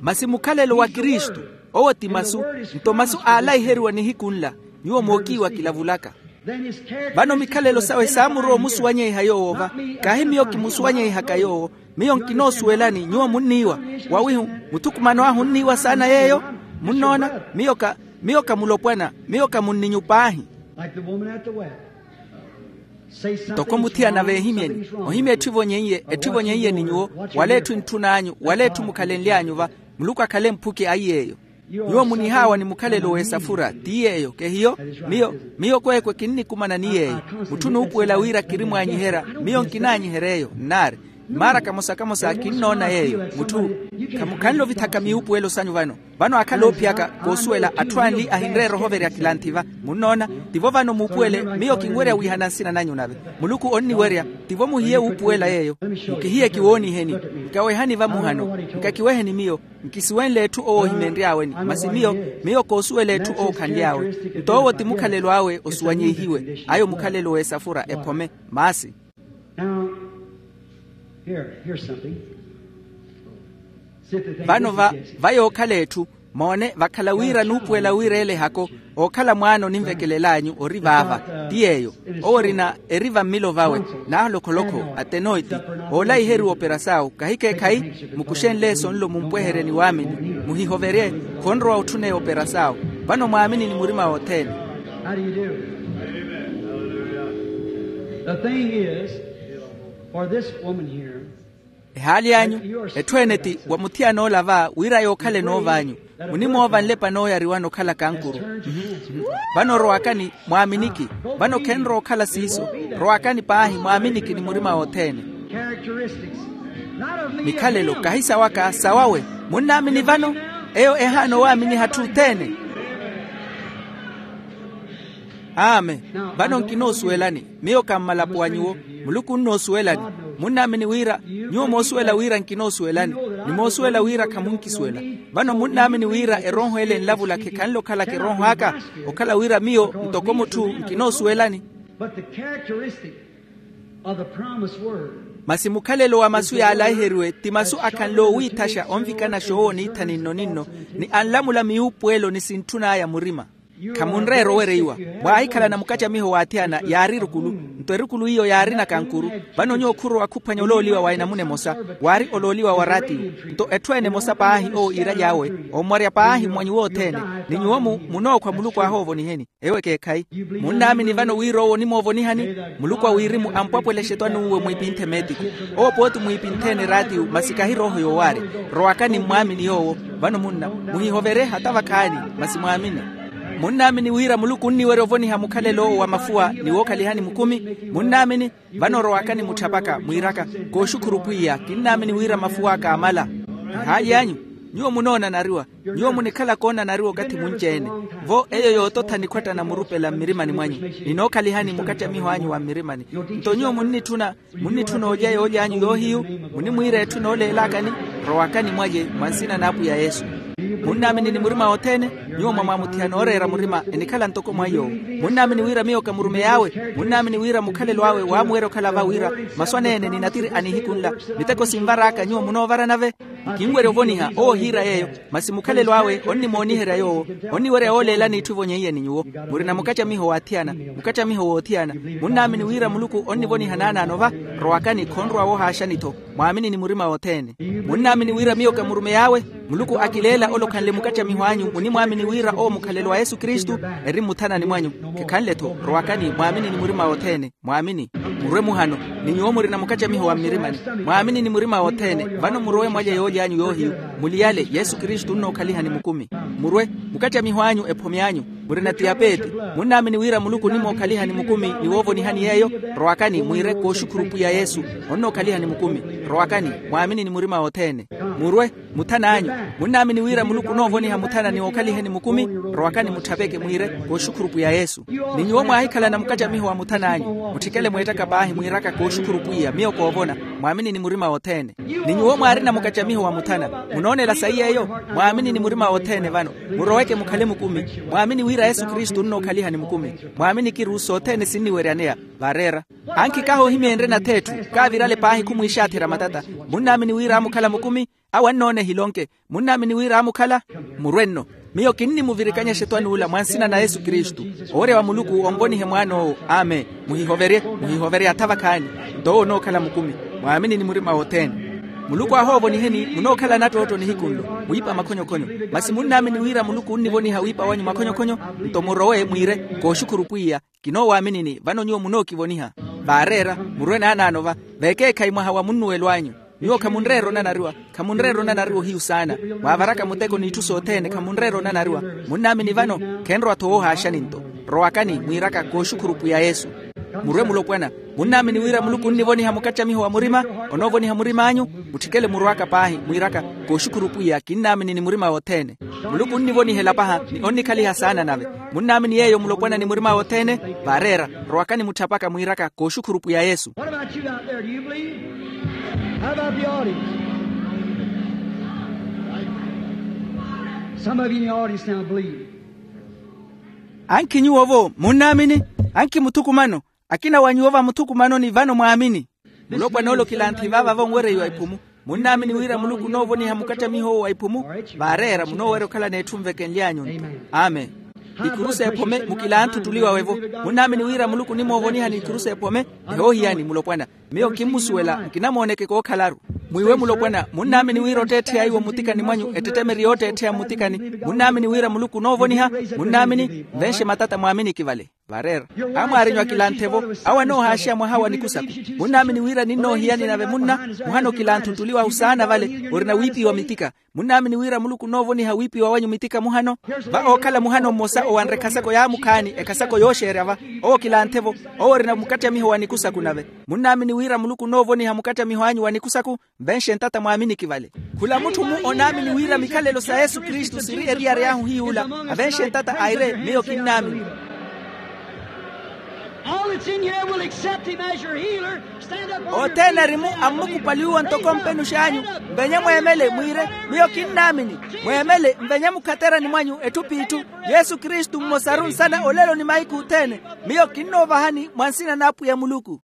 Masi mukhalelo wa kristu owo ti masu. Nto masu aalaiheriwa nihiku nla nyuwo mookiiwa kilavulaka. Vano mikhalelo sawe saamurowa omusuwanyeiha yoowo va. Kaahi miyo kimusuwanyeihaka yoowo. Miyo nkinoosuwelani nyuwo munniiwa wawihu muthukumano ahu onniiwa saana yeeyo. Munnoona? Miyo ka miyo ka mulopwana. Miyo ka munninyu paahi. Ntoko muthiyana veehimyeni ohimya etthu evonyeiye etthu evonyeiye ni nyuwo wala etthu entthun'anyu wala etthu mukhalenly'anyu va. Muluku akhale mphuki aiy'eyo. Nyuwo munihaawa ni mukhalelo w'esafura ti yeeyo kehiyo? Miyo miyo kweekwe kinnikumanani yeeyo. Mutthu onuupuwela wira kiri mwaanyiherya miyo nkinaanyihery'eyo nnaari. Mmaara kamosa-kamosa kinnoona yeeyo mutthu. Khamukhanle ovithaka miyuupuwelo sanyu vano. Vano aakhala oophiyaka koosuwela atthu anli ahinreera ohoverya kilanthi va. Munnoona? Tivo vano muupuwele miyo kinwerya wiihana nsina nanyu nave. Muluku onniwerya. Tivo muhiye wuupuwela yeeyo. Mukihiye kiwooniheni. Nkawehani vamuhano. Nkakiweheni miyo. Nkisuwenle etthu owo ohimenry'aweni masi miyo miyo koosuwela etthu owo khanly'awe. Nto owo ti mukhalelo awe osuwanyeihiwe ayo mukhalelo w'esafura ephome. Maasi. Now, here, here's something. Vano va va yookhala etthu, moone vakhala wira nuupuwela wira ele ehako, ookhala mwaana onimvekelel'anyu ori vaava. Ti yeeyo. Owo orina eri vammilo vawe, naaholokholokh'o, atenoiti, oolaiheriwa operasawu kahikeekhayi. Mukuxenle eso nlo mumpweherye ni waamini, muhihoverye. Khonrowa otthuneya operasawu. Vano mwaamini ni murima wothene. How do you do? The thing is, for this woman here, ehaali anyu, etthu ene ti wa muthiyana ola va wira yookhala enoov'anyu. Munimoova nlepa nooyariwana okhala kankuru. Vano rowakani, mwaaminiki. Vano khenrowa okhala siiso. Rowakani paahi, mwaaminiki ni murima wothene. Mikhalelo kahi sawaka, sawawe. Munnaamini vano? Eyo ehaana owaaminiha atthu othene. Amen. Vano nkinoosuwelani, miyo ka mmalapo a nyuwo. Muluku onnoosuwelani. Munnaamini wira, nyuwo moosuwela wira nkinoosuwelani, ni moosuwela wira khamunkisuwela. Vano munnaamini wira erooho ele enlavula khekhanle okhalaka erooho aka, okhala wira miyo ntoko mutthu nkinoosuwelani. But the characteristic of the promised word. Masi mukhalelo wa masu yaalaiheriwe ti masu akhanle owiithaxa onvikanaxa owo niitha ninno-ninno, ni anlamula miyuupuwelo ni sintthun'aya murima. Khamunreera owereiwa. Mwaahikhalana mukacamiho w'athiyana yaari erukulu, nto erukulu iyo yaarina kankuru. Vano nyuwo khurowa khuphwanya olooliwa wa enamuna emosa, waari olooliwa wa raatiyo. Nto etthu ene emosa paahi owo iiraly'awe, ommwarya paahi mwa nyuwo othene, ni nyuwo-mu munookhwa muluku ahoovoniheni. Ewo ekeekhayi. Munnaamini vano wira owo onimoovonihani? Muluku a wirimu ampwapwelexa etwani uwe mwiipinthe meetiku. Owo pooti mwiipintheni eraatiyo masi kahi rooho yoowaarya. Rowakani mmwaamini yoowo. Vano munna, muhihoverye hata vakhaani, masi mwaamini. Munnaamini wira muluku onniwerya ovoniha mukhalelo owo wa mafuwa ni wookhalihani mukumi? Munnaamini? Vano rowakani mutthapaka mwiiraka, kooxukhuru pwiya, kinnaamini wira mafuw'aka amala. Ehaali anyu, nyuwo munoonanariwa. Nyuwo munikhala koonanariwa okathi munci-ene. Vo eyo yoototha nikhwattana murupela mmirimani mwanyu, ninookhalihani mukacamiho anyu wa mmirimani. Nto nyuwo munnitthuna, munnitthuna olya yoolya anyu yoohiyu, munimwiira etthu nooleelakani. Rowakani mwalye mwa nsina n'apwiya yesu. Munnaamini ni murima wothene? Nyuwo mwamwaamuthihana ooreera murima enikhala ntoko mwa yoowo. Munnaamini wira miyo ka murumey'awe? Munnaamini wira mukhalelo awe waamuwerya okhala va wira masu aneene ni natiri a nihiku nla, miteko sinvar'aka nyuwo munoovaranave? Kinwerya ovoniha owo ohiira yeeyo, masi mukhalelo awe onnimooniherya yoowo. Onniwerya yooleelani itthu evonyeiye ni nyuwo. Murina mukacamiho w'athiyana, mukacamiho w'othiyana. Munnaamini wira muluku onnivoniha naanaano va? Rowakani khonrowa woohaaxani-tho. Mwaamini ni murima wothene. Munnaamini wira miyo ka murumey'awe? Muluku akileela ole okhanle mukacamiho anyu munimwaamini wira owo mukhalelo wa yesu kristu, eri mmuthanani mwanyu. Khekhanle-tho. Rowakani mwaamini ni murima wothene. Mwaamini. Murwe muhano, ni nyuwo murina mukacamiho wa mmirimani. Mwaamini ni murima wothene. Vano murowe mwalye yoolya anyu yoohiyu, muliyale yesu kristu onnookhaliha ni mukumi. Murwe. Mukacamiho anyu ephomi anyu. Murina tiyapeeti. Munnaamini wira muluku onnimookhaliha ni mukumi ni woovonihani yeeyo? Rowakani mwiire kooxukhuru pwiya yesu, onnookhaliha ni mukumi. Rowakani. Mwaamini ni murima wothene. Murwe. Muthana anyu. Munnaamini wira muluku onoovoniha muthana ni ookhaliheni mukumi? Rowakani mutthapeke mwiire, kooxukhuru pwiya yesu. Ni nyuwo mwaahikhalana mukacamiho wa muthana anyu, mutthikele mweettaka paahi mwiiraka kooxukhuru pwiya miyo koovona. Mwaamini ni murima wothene. Ni nyuwo mwaarina mukacamiho wa muthana, munoonela sayi yeeyo? Mwaamini ni murima wothene vano. Muroweke mukhale mukumi. Mwaamini wira yesu kristu onnookhaliha ni mukumi. Mwaamini kiru sothene sinniweryaneya. Vaareera. Ankhi kaahoohimyenrye natheetthu, kaavirale paahi khumwiixaatherya matata. Munnaamini wira aamukhala mukumi? Awo annoona ehilonke. Munnaamini wira aamukhala? Murwe nno. Miyo kinnimuvirikanya exetwani ula mwa nsina na yesu kristu. Owerya wa muluku onvonihe mwaan'owo. Amen. Muhihoverye, muhihoverye atha vakhaani. Nto owo onookhala mukumi. Mwaamini ni murima wothene. Muluku ahoovoniheni munookhala nattootto nihiku nlo, wiipa makhonyokhonyo. Masi munnaamini wira muluku onnivoniha wiipa wanyu makhonyokhonyo? Nto murowe mwiire, kooxukhuru pwiya, kinoowaminini vano nyuwo munookivoniha. Vaareera. Murwe naanaano va. Vekeekhayi mwaha wa munnuwelo anyu. Nyuwo khamunreera onanariwa. Khamunreera onanariwa ohiyu saana. Mwaavaraka muteko n'itthu sothene khamunreera onanariwa. Munnaamini vano? Khenrowa-tho woohaaxani nto. Rowakani mwiiraka kooxukhuru pwiya yesu. Murwe mulopwana. Munnaamini wira muluku onnivoniha mukacamiho wa murima? Onoovoniha murim'anyu. Mutthikele murw'aka paahi mwiiraka, kooxukhuru pwiya kinnaamini ni murima wothene. Muluku onnivonihela paha ni onnikhaliha saana nave. Munnaamini yeeyo mulopwana ni murima wothene? Vaareera. Rowakani mutthapaka mwiiraka kooxukhuru pwiya yesu. What about you out there? Do you believe? How about the audience? Some of you in the audience now believe. Ankhi nyuwo-vo munnaamini? Ankhi muthukumano. Akina wa nyuwo vamuthukumanoni vano mwaamini. Mulopwana ole okilanthi vaava vonwereiwa iphumu. Munnaamini wira muluku onoovoniha mukattamiho owo wa iphumu? Vaareera munoowerya okhala n'etthu nvekenly'anyu-nto. Amen. Ikuru s'ephome mukilanthu ottuli wawe-vo. Munnaamini wira muluku onimoovoniha n'ikuru s'ephome? Ehoohiyani mulopwana. Miyo kimmusuwela nkinamooneke kookhalaru. Mwiiwe mulopwana, munnaamini wira otteettheya iwo mmutikani mwanyu ettettemeri yootteettheya mmutikani? Munnaamini wira muluku onoovoniha? Munnaamini? Nvenxe matata mwaaminiki vale. Vareera. Amwaarinyu akilanthe-vo. Awo anoohaaxiya mwaha wa nikusaku. Munnaamini wira ninnoohiyani nave munna? Muhana okilanthe ottuli wahu saana vale orina wiipiwa mitika. Munnaamini wira muluku onoovoniha wiipiwa wanyu mitika muhano? Va ookhala muhano mmosa owanre ekhasako yaamukhaani ekhasako yooxeerya va. Owo kilanthe-vo. Owo orina mukattamiho wa nikusaku nave. Munnaamini wira muluku onoovoniha mukattamiho anyu wa nikusaku? Nvenxe ntata mwaaminiki vale. Khula mutthu-mu onaamini wira mikhalelo sa yesu kristu siri eriyari ahu hiy'ula. Avenxe ntata aire miyo kinnaamini. All that's in here will accept him as your healer. Stand up on your feet. Othene erimu ammukupaliwiwa ntoko mpenux'anyu. Mvenye mweemele mwiire, miyo kinnaamini. Mweemele mvenye mukhaterani mwanyu etthu p'itthu. Yesu kristu mmosaru nsana olelo ni mahiku othene. Miyo kinnoovahani mwa nsina n'apwiya muluku.